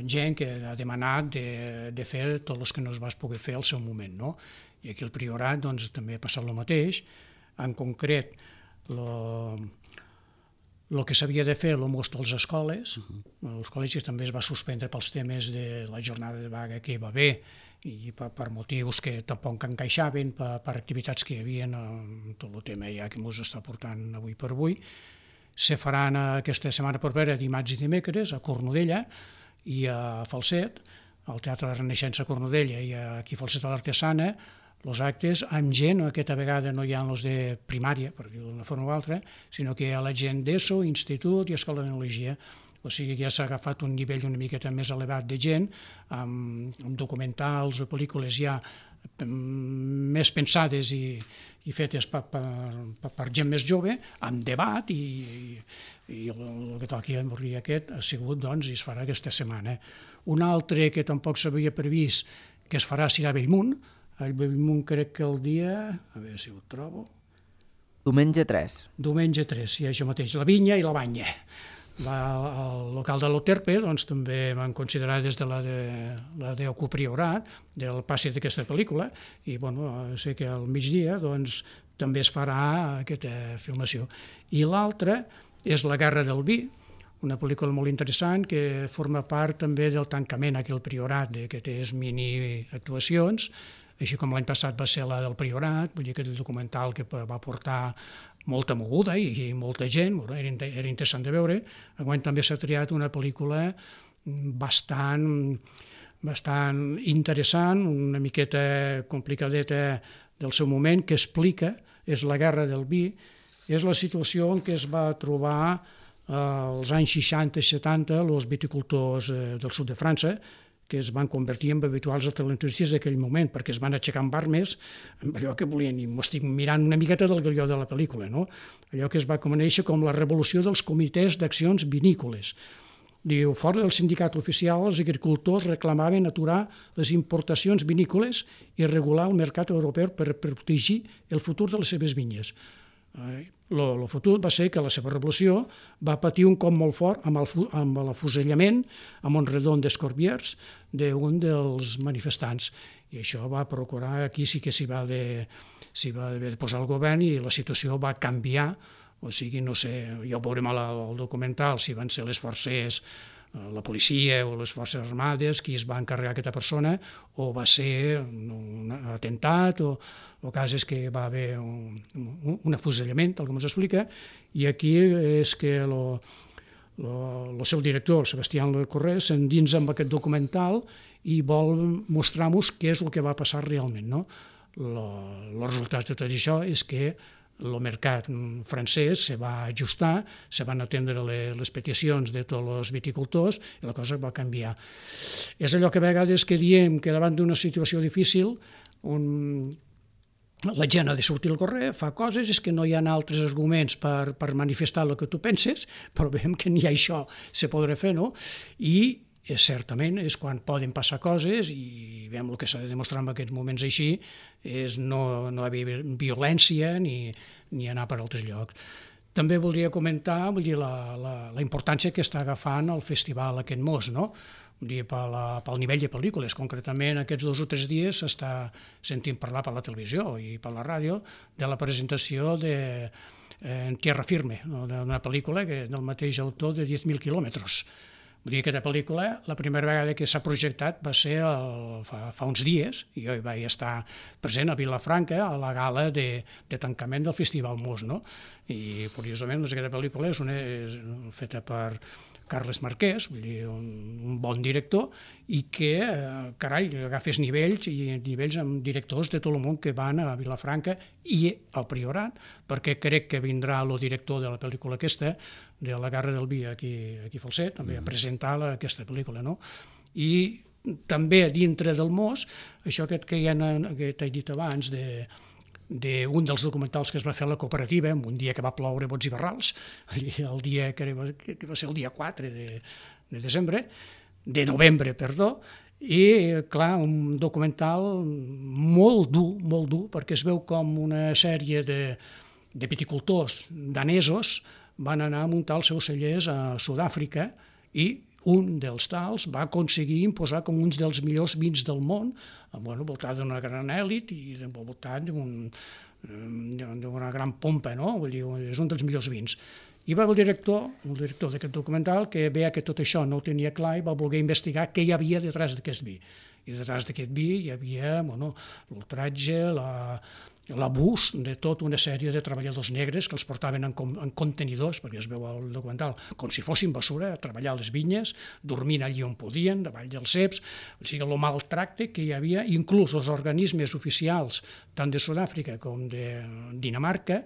gent que ha demanat de fer tots els que no es va poder fer al seu moment, no? I aquí al Priorat també ha passat el mateix. En concret, el que s'havia de fer, el most als escoles, els col·legis també es va suspendre pels temes de la jornada de vaga que hi va haver i per motius que tampoc encaixaven, per activitats que hi havia, tot el tema ja que ens està portant avui per avui. Se faran aquesta setmana propera, dimarts i dimecres, a Cornudella i a Falset, al Teatre de la Renaixença a Cornudella i aquí a Falset a l'Artesana, els actes amb gent, aquesta vegada no hi ha els de primària, per dir-ho d'una forma o altra, sinó que hi ha la gent d'ESO, institut i escola d'enologia. O sigui que ja s'ha agafat un nivell una miqueta més elevat de gent, amb documentals o pel·lícules ja més pensades i fetes per gent més jove, amb debat, i el que toqui a Morri aquest ha sigut, i es farà aquesta setmana. Un altre que tampoc s'havia previst que es farà serà a Bellmunt. A Bellmunt crec que el dia... A veure si ho trobo... Diumenge 3. Diumenge 3, sí, això mateix. La Vinya i la Banya. Al local de l'Oterpe també van considerar des de la d'Ocu Priorat, del passi d'aquesta pel·lícula, i sé que al migdia també es farà aquesta filmació. I l'altra és La Guerra del Vi, una pel·lícula molt interessant que forma part també del tancament aquí al Priorat, d'aquestes mini-actuacions, així com l'any passat va ser la del Priorat, vull dir que el documental que va portar molta moguda i molta gent, era interessant de veure. Enguany també s'ha triat una pel·lícula bastant interessant, una miqueta complicadeta del seu moment, que explica, és La Guerra del Vi, és la situació en què es va trobar als anys 60 i 70 els viticultors del sud de França, que es van convertir en habituals atlantistes d'aquell moment, perquè es van aixecar amb armes, amb allò que volien, i m'ho estic mirant una miqueta del guió de la pel·lícula, no? Allò que es va conèixer com la revolució dels comitès d'accions vinícoles. Diu, fora del sindicat oficial, els agricultors reclamaven aturar les importacions vinícoles i regular el mercat europeu per protegir el futur de les seves vinyes. El futur va ser que la seva revolució va patir un cop molt fort amb l'afusellament a Montredon d'Escorbiers d'un dels manifestants. I això va procurar, aquí sí que s'hi va haver de posar el govern i la situació va canviar, o sigui, no sé, ja ho veurem al documental, si van ser les forces, la policia o les forces armades qui es va encarregar aquesta persona, o va ser un atemptat, o el cas és que va haver un afusellament, tal com ens explica, i aquí és que el seu director, el Sebastián Corré, s'endinsa amb aquest documental i vol mostrar-nos què és el que va passar realment, no? El resultat de tot això és que el mercat francès se va ajustar, se van atendre les peticions de tots els viticultors i la cosa va canviar. És allò que a vegades que diem que davant d'una situació difícil la gent ha de sortir al carrer, fa coses, és que no hi ha altres arguments per manifestar el que tu penses, però veiem que ni això se podrà fer, no? I certament és quan poden passar coses i veiem el que s'ha de demostrar en aquests moments així és no haver violència ni anar per altres llocs. També voldria comentar la importància que està agafant el festival aquest Mos, no? Pel nivell de pel·lícules. Concretament, aquests 2 o 3 dies s'està sentint parlar per la televisió i per la ràdio de la presentació de En Tierra Firme, una pel·lícula del mateix autor de 10.000 quilòmetres. Vull dir, aquesta pel·lícula, la primera vegada que s'ha projectat va ser fa uns dies, i jo hi vaig estar present a Vilafranca a la gala de tancament del Festival Mos, no? I, curiosament, aquesta pel·lícula és feta per Carles Marquès, vull dir, un bon director, i que, carai, agafes nivells amb directors de tot el món que van a Vilafranca i al Priorat, perquè crec que vindrà el director de la pel·lícula aquesta, de La Guerra del Vi, aquí a Falset, també a presentar aquesta pel·lícula, no? I també dintre del Mos, això que t'he dit abans, d'un dels documentals que es va fer a la cooperativa, un dia que va ploure bots i barrals, el dia que va ser el dia 4 de novembre, i, clar, un documental molt dur, perquè es veu com una sèrie de viticultors danesos van anar a muntar els seus cellers a Sud-àfrica i un dels tals va aconseguir imposar com uns dels millors vins del món, voltat d'una gran èlit i voltat d'una gran pompa, no? Vull dir, és un dels millors vins. I va el director d'aquest documental, que veia que tot això no ho tenia clar i va voler investigar què hi havia detrás d'aquest vi. I detrás d'aquest vi hi havia l'ultratge, l'abús de tota una sèrie de treballadors negres que els portaven en contenidors, perquè es veu al documental, com si fossin basura, a treballar a les vinyes, dormint allí on podien, davall dels ceps, o sigui, el maltracte que hi havia, inclús els organismes oficials, tant de Sud-àfrica com de Dinamarca,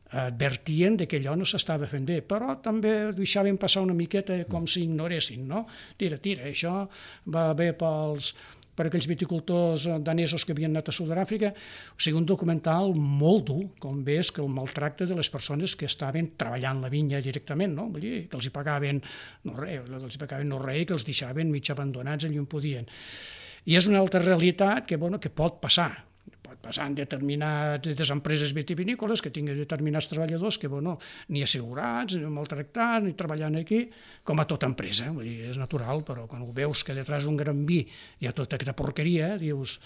advertien que allò no s'estava fent bé, però també deixaven passar una miqueta com si ignoressin, no? Tira, això va bé per aquells viticultors danesos que havien anat a Sud-àfrica. O sigui, un documental molt dur, com ves que el maltracte de les persones que estaven treballant la vinya directament, no? Vull dir, que els hi pagaven no res, que els deixaven mig abandonats allà on podien. I és una altra realitat que pot passar en determinades empreses vitivinícoles que tinguin determinats treballadors que ni assegurats, ni maltractats, ni treballant aquí, com a tota empresa. Vull dir, és natural, però quan ho veus que detrás d'un gran vi hi ha tota aquesta porqueria, dius,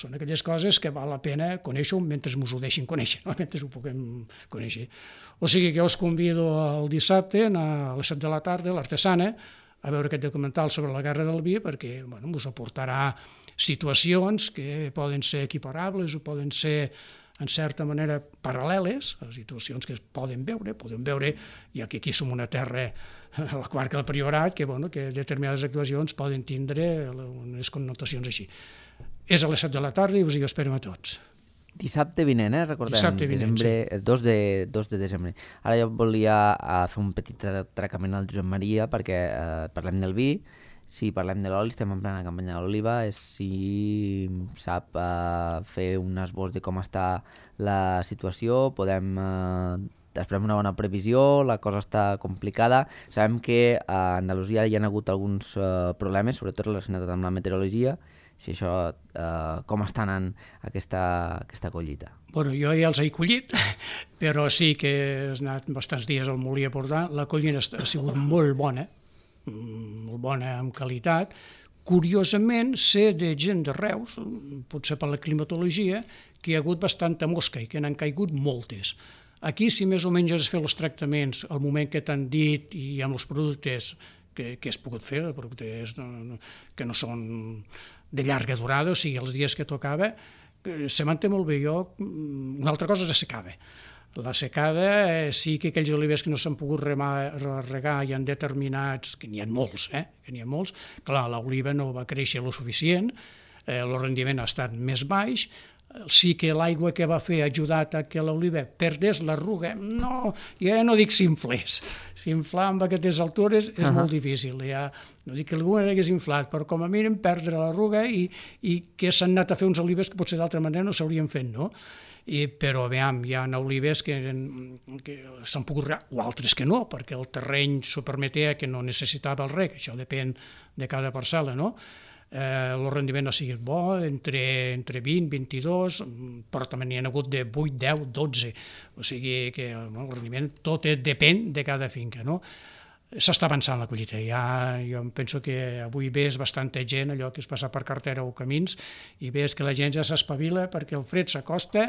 són aquelles coses que val la pena conèixer-ho mentre ens ho deixin conèixer, no? Mentre ho puguem conèixer. O sigui que us convido el dissabte a les 7 de la tarda, a l'Artesana, a veure aquest documental sobre la guerra del vi, perquè us aportarà situacions que poden ser equiparables o poden ser, en certa manera, paral·leles, situacions que es poden veure, ja que aquí som una terra, a la comarca del Priorat, que determinades actuacions poden tindre unes connotacions així. És a les 7 de la tarda i us hi esperem a tots. Dissabte vinent, recordem, Dissabte vinent, desembre, 2 de desembre. Ara jo volia fer un petit atracament al Josep Maria perquè parlem del vi. Si parlem de l'oli, estem en plena campanya de l'oliva, si sap fer un esbós de com està la situació, esperem una bona previsió, la cosa està complicada. Sabem que a Andalusia hi ha hagut alguns problemes, sobretot relacionats amb la meteorologia. Si això, com està anant aquesta collita? Jo ja els he collit, però sí que he anat bastants dies al molí a portar. La collita ha sigut molt bona en qualitat, Curiosament, sé de gent de Reus, potser per la climatologia, que hi ha hagut bastanta mosca i que n'han caigut moltes. Aquí, si més o menys has fet els tractaments al moment que t'han dit i amb els productes que has pogut fer, productes que no són de llarga durada, o sigui, els dies que tocava, se manté molt bé. Una altra cosa és la secada. La secada sí que aquells olivers que no s'han pogut regar hi ha determinats, que n'hi ha molts, clar, l'oliva no va créixer lo suficient, el rendiment ha estat més baix, sí que l'aigua que va fer ha ajudat a que l'oliva perdés l'arruga, no, ja no dic s'inflés, s'inflar amb aquestes altures és molt difícil, ja, no dic que algú hagués inflat, però com a mínim perdre l'arruga i que s'han anat a fer uns olives que potser d'altra manera no s'haurien fet, no? Però veiem, hi ha olives que s'han pogut regar, o altres que no, perquè el terreny s'ho permetia que no necessitava el reg, això depèn de cada parcel·la, no? El rendiment ha sigut bo, entre 20, 22, però també n'hi ha hagut de 8, 10, 12, o sigui que el rendiment tot depèn de cada finca, no? S'està avançant la collita, jo penso que avui ves bastanta gent, allò que es passa per carretera o camins, i ves que la gent ja s'espavila perquè el fred s'acosta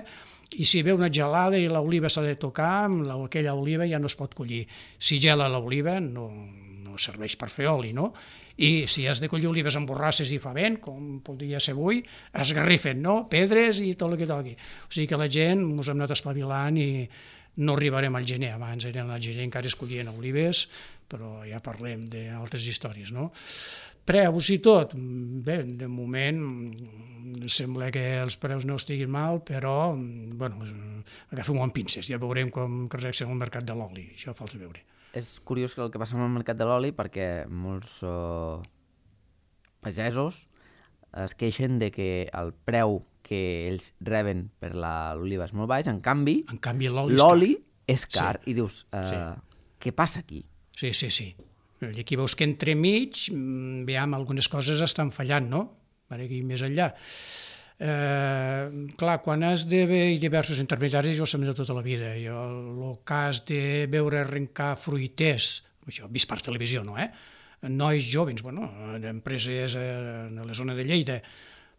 i si ve una gelada i l'oliva s'ha de tocar, aquella oliva ja no es pot collir. Si gela l'oliva no serveix per fer oli, no? I si has de collir olives amb borrasses i fa vent, com podria ser avui, esgarrifen, no? Pedres i tot el que toqui. O sigui que la gent ens hem anat espavilant i no arribarem al gener, abans eren al gener encara es collien olives, però ja parlem d'altres històries, no? Preus i tot, bé, de moment sembla que els preus no estiguin mal, però, bueno, agafem-ho amb pinces, ja veurem com reacciona el mercat de l'oli, això falta veure. És curiós el que passa amb el mercat de l'oli perquè molts pagesos es queixen de que el preu que ells reben per l'oliva és molt baix, en canvi l'oli és car. I dius, què passa aquí? Sí. I aquí veus que entremig, veiem, algunes coses estan fallant, no? Aquí més enllà. Clar, quan has de veure diversos intermediaris, jo ho sé de tota la vida. El cas de veure arrencar fruiters, això ho he vist per televisió, no? Nois jovens, d'empreses a la zona de Lleida,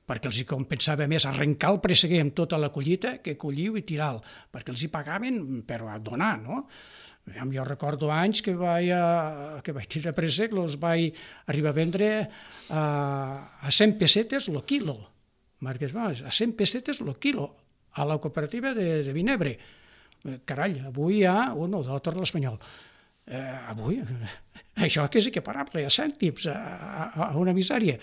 perquè els hi compensava més arrencar el presseguer amb tota la collita que collir-ho i tirar-lo, perquè els hi pagaven per donar, no? Jo recordo anys que vaig tirar préssec, els vaig arribar a vendre a 100 pessetes el quilo, marques baix, a 100 pessetes el quilo, a la cooperativa de Vinebre. Carai, avui hi ha de la Torre de l'Espanyol. Avui, això que és equiparable a cèntims, a una misèria.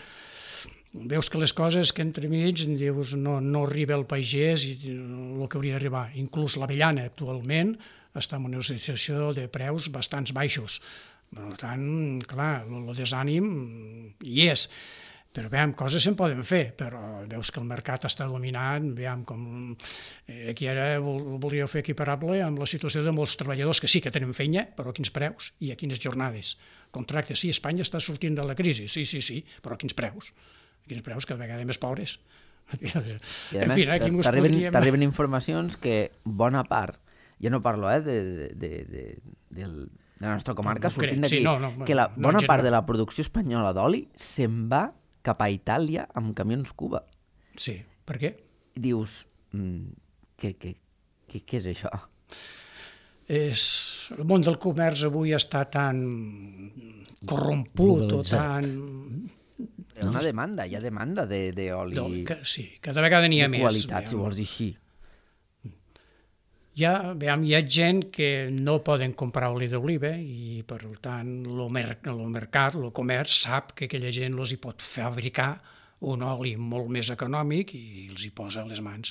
Veus que les coses que entremig dius no arriba el pagès i el que hauria d'arribar. Inclús l'avellana actualment està en una situació de preus bastants baixos. Per tant, clar, el desànim hi és. Però veiem, coses se'n poden fer, però veus que el mercat està dominant, veiem com aquí ara voldríeu fer equiparable amb la situació de molts treballadors que sí que tenen feina, però a quins preus i a quines jornades. Contractes, sí, Espanya està sortint de la crisi, sí, però a quins preus? A quins preus, cada vegada més pobres. I a més, t'arriben informacions que bona part, jo no parlo de la nostra comarca, sortint d'aquí, que la bona part de la producció espanyola d'oli se'n va cap a Itàlia amb camions Cuba. Sí, per què? Dius, què és això? El món del comerç avui està tan corromput o tan... Hi ha demanda d'oli. Sí, cada vegada n'hi ha més. De qualitat, si vols dir així. Hi ha gent que no poden comprar oli d'oliva i, per tant, el mercat, el comerç, sap que aquella gent els hi pot fabricar un oli molt més econòmic i els hi posa a les mans.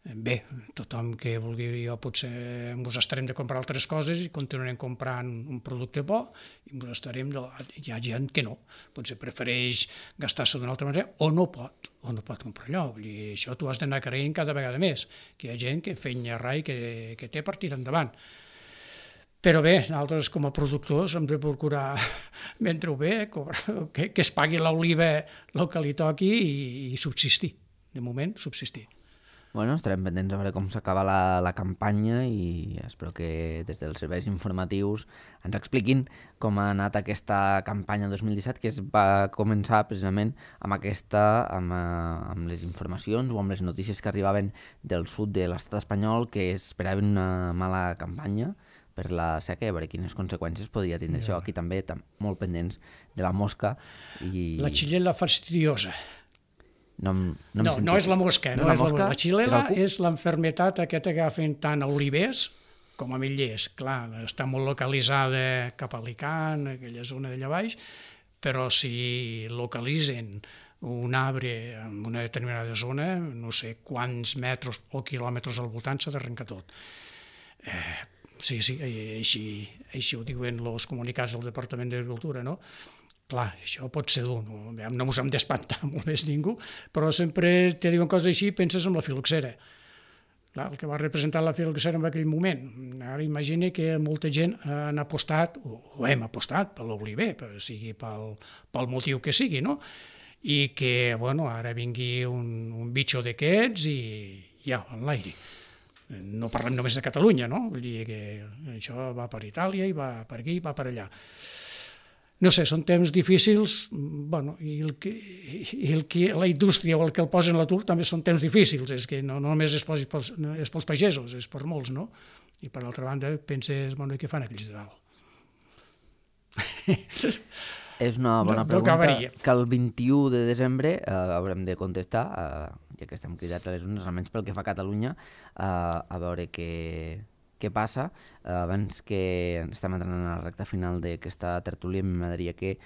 Bé, tothom que vulgui, potser ens estarem de comprar altres coses i continuarem comprant un producte bo i hi ha gent que no, potser prefereix gastar-se d'una altra manera o no pot comprar allò. I això tu has d'anar creient cada vegada més, que hi ha gent que feina rai que té per tirar endavant. Però bé, nosaltres com a productors hem de procurar mentre ho bé, que es pagui l'oliva el que li toqui i subsistir, de moment subsistir. Bueno, estarem pendents a veure com s'acaba la campanya i espero que des dels serveis informatius ens expliquin com ha anat aquesta campanya 2017, que es va començar precisament amb les informacions o amb les notícies que arribaven del sud de l'estat espanyol, que esperaven una mala campanya per la seca i a veure quines conseqüències podria tindre això. Aquí també molt pendents de la mosca. La xilella fastidiosa. No és la mosca. No és la mosca. La xilella és l'enfermetat aquesta que agafen tant a olivers com a ametllers. Clar, està molt localitzada cap a Alicant, aquella zona d'allà baix, però si localitzen un arbre en una determinada zona, no sé quants metres o quilòmetres al voltant, s'ha d'arrencar tot. Sí, així ho diuen els comunicats del Departament d'Agricultura, no? Clar, això pot ser dur, no mos hem d'espantar molt més ningú, però sempre te diuen coses així i penses en la filoxera. Clar, el que va representar la filoxera en aquell moment. Ara imagina que molta gent han apostat, o hem apostat per l'oliver, sigui pel motiu que sigui, no? I que, bueno, ara vingui un bitxo d'aquests i ja, en l'aire. No parlem només de Catalunya, no? Vull dir que això va per Itàlia i va per aquí i va per allà. No sé, són temps difícils, bueno, i la indústria o el que el posa en l'atur també són temps difícils, és que no només és pels pagesos, és per molts, no? I per altra banda penses, bueno, què fan aquells de dalt? És una bona pregunta que el 21 de desembre haurem de contestar, ja que estem cridats a les urnes, almenys pel que fa a Catalunya, a veure què passa. Abans que estem entrant en la recta final d'aquesta tertúlia, m'agradaria que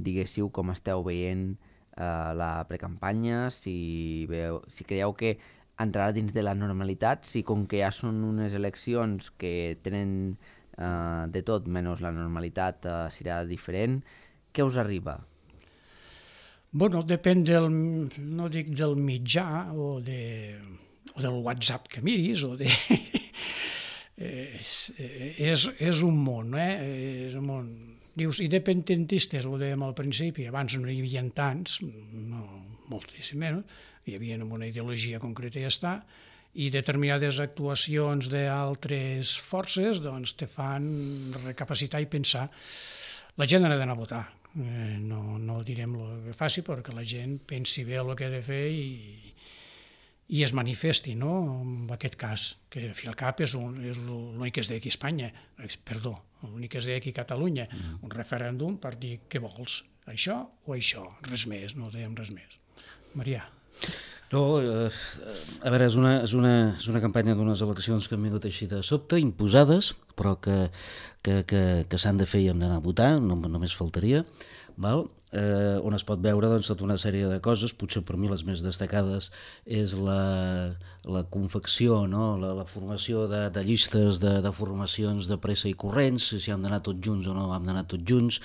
diguéssiu com esteu veient la precampanya, si creieu que entrarà dins de la normalitat, si com que ja són unes eleccions que tenen de tot menys la normalitat serà diferent. Què us arriba? Bueno, depèn no dic del mitjà o del WhatsApp que miris o de... és un món, és un món. Dius, independentistes, ho dèiem al principi, abans no hi havia tants, no, moltíssim menys, hi havia una ideologia concreta i ja està, i determinades actuacions d'altres forces doncs te fan recapacitar i pensar. La gent ha d'anar a votar, no direm el que faci, perquè la gent pensi bé el que ha de fer i es manifesti, no? En aquest cas, que al fi al cap és l'únic que es deia aquí a Espanya, perdó, l'únic que es deia aquí a Catalunya, un referèndum per dir què vols, això o això, res més, no dèiem res més. Marià. No, a veure, és una campanya d'unes eleccions que han vingut així de sobte, imposades, però que s'han de fer i hem d'anar a votar, només faltaria, val? On es pot veure doncs, tota una sèrie de coses, potser per mi les més destacades és la confecció, no? la formació de llistes de formacions de pressa i corrents, si hem d'anar tots junts o no hem d'anar tots junts,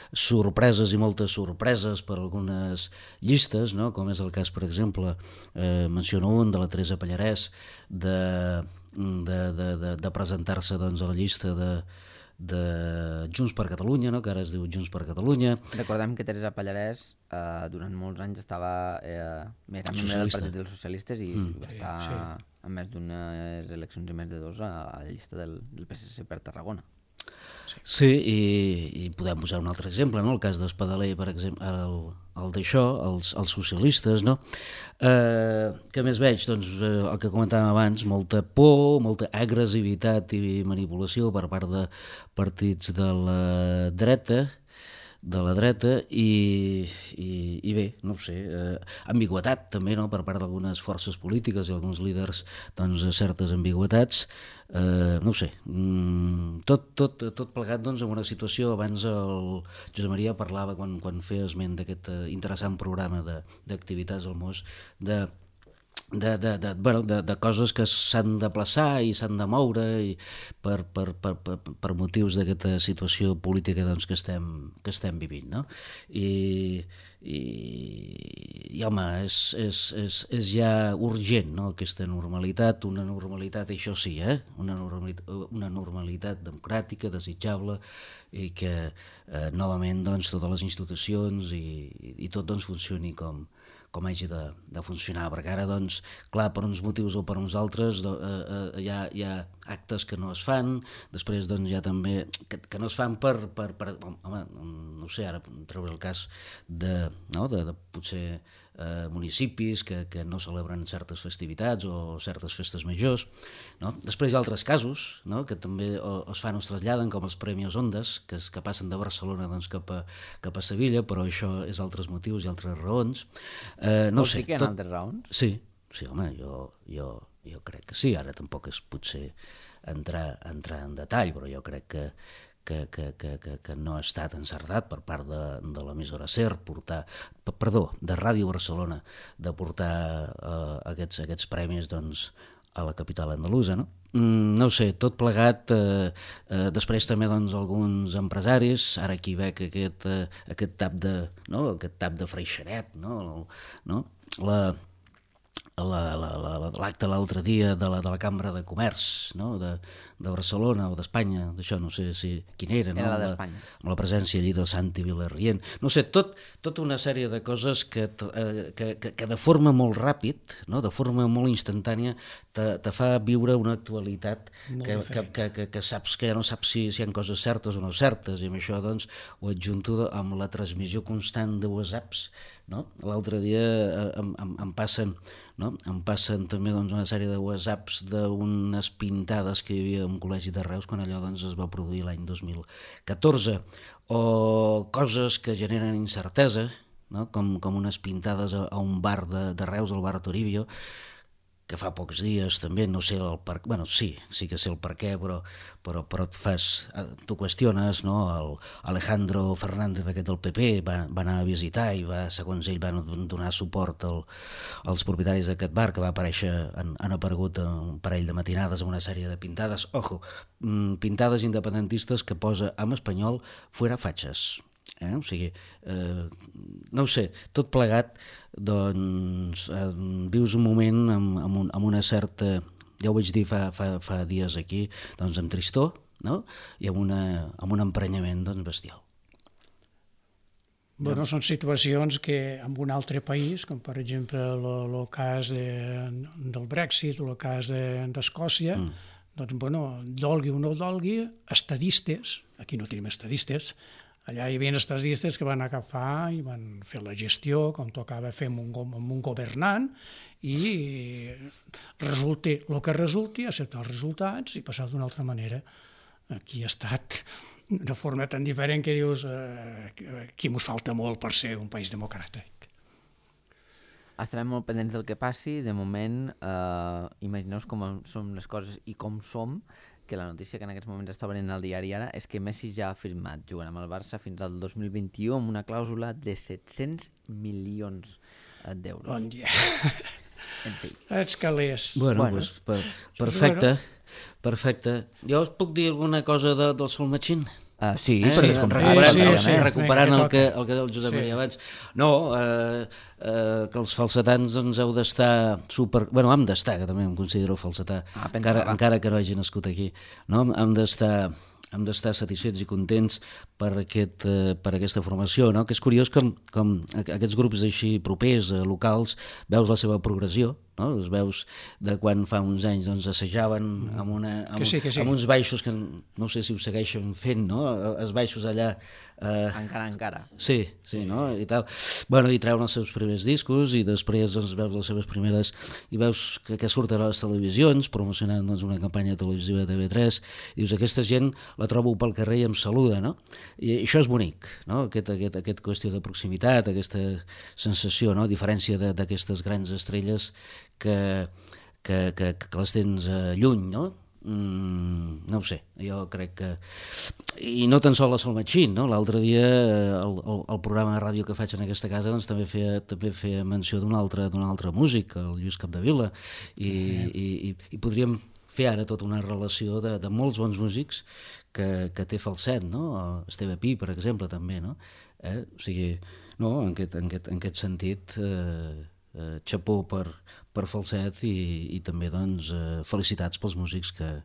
sorpreses i moltes sorpreses per algunes llistes, no? Com és el cas, per exemple, menciono un de la Teresa Pallarès, de presentar-se doncs, a la llista de Junts per Catalunya, no? Que ara es diu Junts per Catalunya. Recordem que Teresa Pallarès durant molts anys estava membre del Partit dels Socialistes i va estar en més d'unes eleccions i més de dos a la llista del PSC per Tarragona. Sí, i podem posar un altre exemple, no? El cas d'Espadaler, per exemple, el d'això, els socialistes, no? Què més veig? Doncs el que comentàvem abans, molta por, molta agressivitat i manipulació per part de partits de la dreta i bé, no ho sé, ambigüetat també, no? Per part d'algunes forces polítiques i alguns líders, doncs certes ambigüetats, no ho sé, tot plegat doncs en una situació. Abans el Josep Maria parlava quan feia esment d'aquest interessant programa d'activitats al MOS de coses que s'han de plaçar i s'han de moure i per motius d'aquesta situació política doncs, que estem vivint, no? I home, és ja urgent, no? Aquesta normalitat, una normalitat, això sí, una normalitat democràtica, desitjable, i que novament doncs, totes les institucions i tot doncs, funcioni com hagi de funcionar, perquè ara, doncs, clar, per uns motius o per uns altres hi ha actes que no es fan, després doncs hi ha també que no es fan per home, no sé, ara treure el cas de potser municipis que no celebren certes festivitats o certes festes majors, no? Després hi ha altres casos, no?, que també es fan o es traslladen, com els Premis Ondas, que passen de Barcelona doncs, cap a Sevilla, però això és altres motius i altres raons. No Vols sé, dir que hi ha altres raons? Sí, home, jo crec que sí, ara tampoc és potser entrar en detall, però jo crec que no ha estat encertat per part de l'emissora SER de Ràdio Barcelona, de portar aquests premis doncs, a la capital andalusa, no? No ho sé, tot plegat, després també doncs, alguns empresaris, ara aquí veig aquest tap de freixeret, no? L'acte l'altre dia de la Cambra de Comerç, no?, de Barcelona o d'Espanya, d'això no sé quin era, no? Era la d'Espanya. Amb la presència allí del Santi Vilarrient. No sé, tota una sèrie de coses que de forma molt ràpid, no?, de forma molt instantània, te fa viure una actualitat que saps que ja no saps si hi ha coses certes o no certes, i amb això doncs ho adjunto amb la transmissió constant de whatsapps, no? L'altre dia em passen també doncs, una sèrie de whatsapps d'unes pintades que hi havia en un col·legi de Reus quan allò doncs, es va produir l'any 2014, o coses que generen incertesa, no?, com unes pintades a un bar de Reus, al bar Toribio, que fa pocs dies també, no sé el per... Bueno, sí que sé el per què, però tu qüestiones, no? El Alejandro Fernández, aquest del PP, va anar a visitar i segons ell van donar suport als propietaris d'aquest bar, que va aparèixer, han aparegut un parell de matinades amb una sèrie de pintades, pintades independentistes que posa en espanyol fuera fachas. O sigui, no ho sé, tot plegat, doncs, vius un moment amb una certa, ja ho vaig dir fa dies aquí, doncs amb tristor, no?, i amb un emprenyament doncs, bestial. Bueno, són situacions que en un altre país, com per exemple el cas del Brexit o el cas d'Escòcia, doncs, bueno, dolgui o no dolgui, estadistes, aquí no tenim estadistes, allà hi havia estadistes que van agafar i van fer la gestió com tocava fer amb un governant i resulti el que resulti, acceptar els resultats i passar d'una altra manera. Aquí ha estat de forma tan diferent que dius aquí mos falta molt per ser un país democràtic. Estarem molt pendents del que passi. De moment, imagineu com són les coses i com som, que la notícia que en aquests moments està venint al diari ara és que Messi ja ha firmat jugant amb el Barça fins al 2021 amb una clàusula de 700 milions d'euros. Bon dia. En fi. Ets calés. Bueno. Pues, perfecte. Jo us puc dir alguna cosa del Sol Machín? Sí, recuperant el que deia el Josep Maria abans. No, que els falsetans doncs, heu d'estar Bueno, hem d'estar, que també em considero falsetà, encara que no hagi nascut aquí. No? Hem d'estar satisfets i contents per aquesta formació, no? Que és curiós com aquests grups així propers, locals, veus la seva progressió, no? Els veus de quan fa uns anys doncs, assajaven amb uns baixos que no sé si ho segueixen fent, no? Els baixos allà... Encara. Sí, no? I tal. Bueno, i treuen els seus primers discos i després doncs, veus les seves primeres i veus que surten a les televisions promocionant doncs, una campanya televisiva de TV3 i dius, aquesta gent la trobo pel carrer i em saluda, no? I això és bonic, no? Aquest qüestió de proximitat, aquesta sensació, no? A diferència d'aquestes grans estrelles que les tens lluny, no? No ho sé, jo crec que... I no tan sol a Sol Machín, no? L'altre dia el programa de ràdio que faig en aquesta casa doncs, també feia menció d'un altre músic, el Lluís Capdevila, i podríem fer ara tota una relació de molts bons músics que té falset, no? Esteve Pi, per exemple, també, no? O sigui, no, en aquest sentit... xapó per falset i també doncs, felicitats pels músics que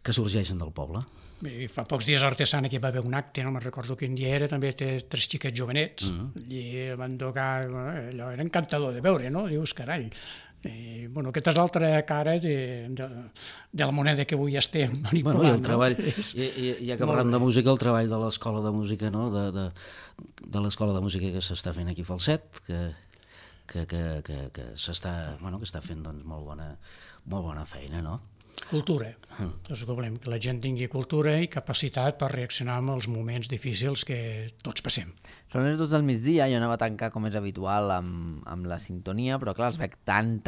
que sorgeixen del poble. I fa pocs dies a Artesana aquí va haver un acte, no me'n recordo quin dia era, també té 3 xiquets jovenets, i van tocar, allò era encantador de veure, no? Dius, carall. I, bueno, aquesta és l'altra cara de la moneda que avui estem manipulant. Bueno, i el treball, ja que parlem de música, el treball de l'escola de música, no? De l'escola de música que s'està fent aquí a Falset, que s'està fent doncs, molt bona feina, no? Cultura. És que volem que la gent tingui cultura i capacitat per reaccionar amb els moments difícils que tots passem. Són les 2 del migdia, jo anava a tancar com és habitual amb la sintonia, però clar, us veig tan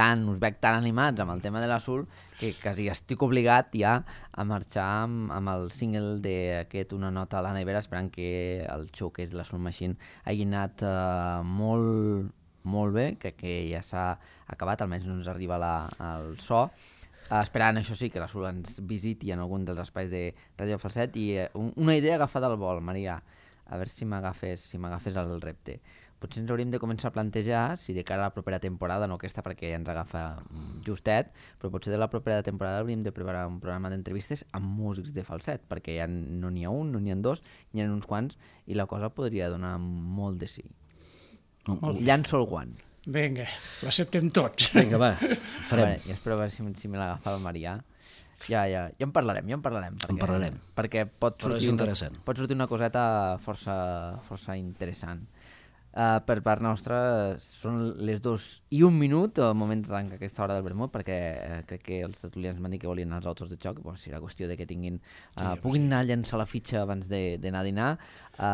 animats amb el tema de l'Azul que quasi estic obligat ja a marxar amb el single d'aquest Una nota a la nevera, esperant que el showcase de l'Azul Machine hagi anat molt bé, crec que ja s'ha acabat, almenys no ens arriba el so. Esperant, això sí, que l'Azul ens visiti en algun dels espais de Ràdio Falset i una idea agafada al vol, Maria, a veure si m'agafes el repte. Potser ens hauríem de començar a plantejar si de cara a la propera temporada, no aquesta perquè ens agafa justet, però potser de la propera temporada hauríem de preparar un programa d'entrevistes amb músics de falset, perquè ja no n'hi ha un, no n'hi ha 2, n'hi ha uns quants, i la cosa podria donar molt de sí. Llanço el guant. Vinga, l'acceptem tots. Vinga, va, farem. I espero a veure si me l'agafa el Marià. Ja en parlarem. Perquè pot sortir una coseta força interessant. Per part nostra són les 2:01, el moment de tancar aquesta hora del vermut, perquè crec que els tertulians m'han dit que volien anar als autos de xoc, doncs serà qüestió de que puguin anar a llançar la fitxa abans d'anar a dinar.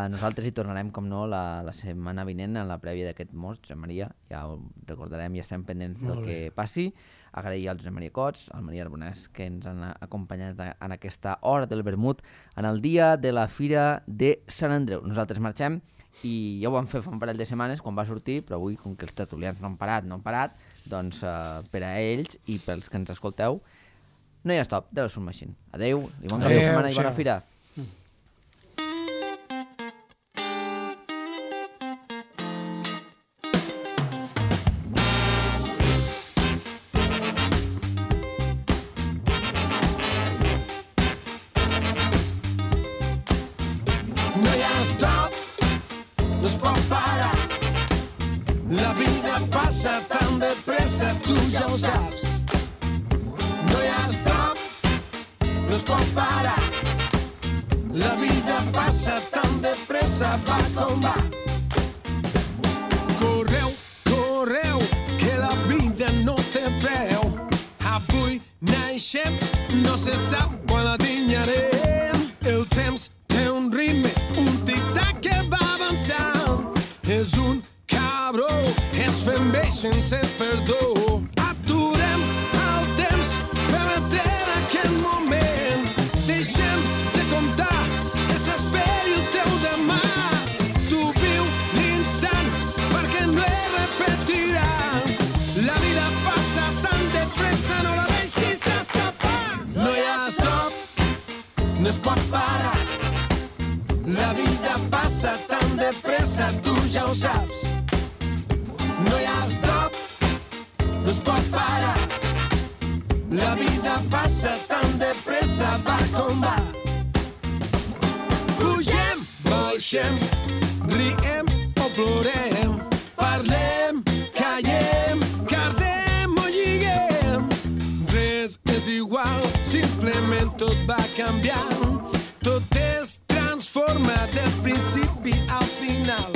Nosaltres hi tornarem, com no, la setmana vinent, en la prèvia d'aquest mos, Josep Maria, ja ho recordarem, ja estem pendents del que passi. Agrair al Josep Maria Cots, al Maria Arbonès, que ens han acompanyat en aquesta hora del vermut, en el dia de la Fira de Sant Andreu. Nosaltres marxem, i ja ho vam fer fa un parell de setmanes quan va sortir, però avui, com que els tertulians no han parat, doncs per a ells i pels que ens escolteu, no hi ha stop de la Soul Machine. Adeu, i bon cap de setmana i bona fira. La vida passa tan de pressa, tu ja ho saps. No hi ha stop, no es pot parar. La vida passa tan de pressa, va com va. Correu, correu, que la vida no té preu. Avui naixem, no se sap quan la dinyarem. El temps té un ritme, un tic-tac que va avançant. És un cabró, ens fem bé sense perdó. Aturem el temps, fem etern aquest moment. Deixem de comptar, que s'esperi el teu demà. Tu viu l'instant, perquè no es repetirà. La vida passa tan de pressa, no la deixis escapar. No hi ha stop, no es pot parar. La vida passa tan de pressa, tu ja ho saps. No hi ha stop, no es pot parar. La vida passa tan de pressa, va com va. Pugem, baixem, riem o plorem. Parlem, callem, cardem o lliguem. Res és igual, simplement tot va canviant. Tot es transforma del principi al final.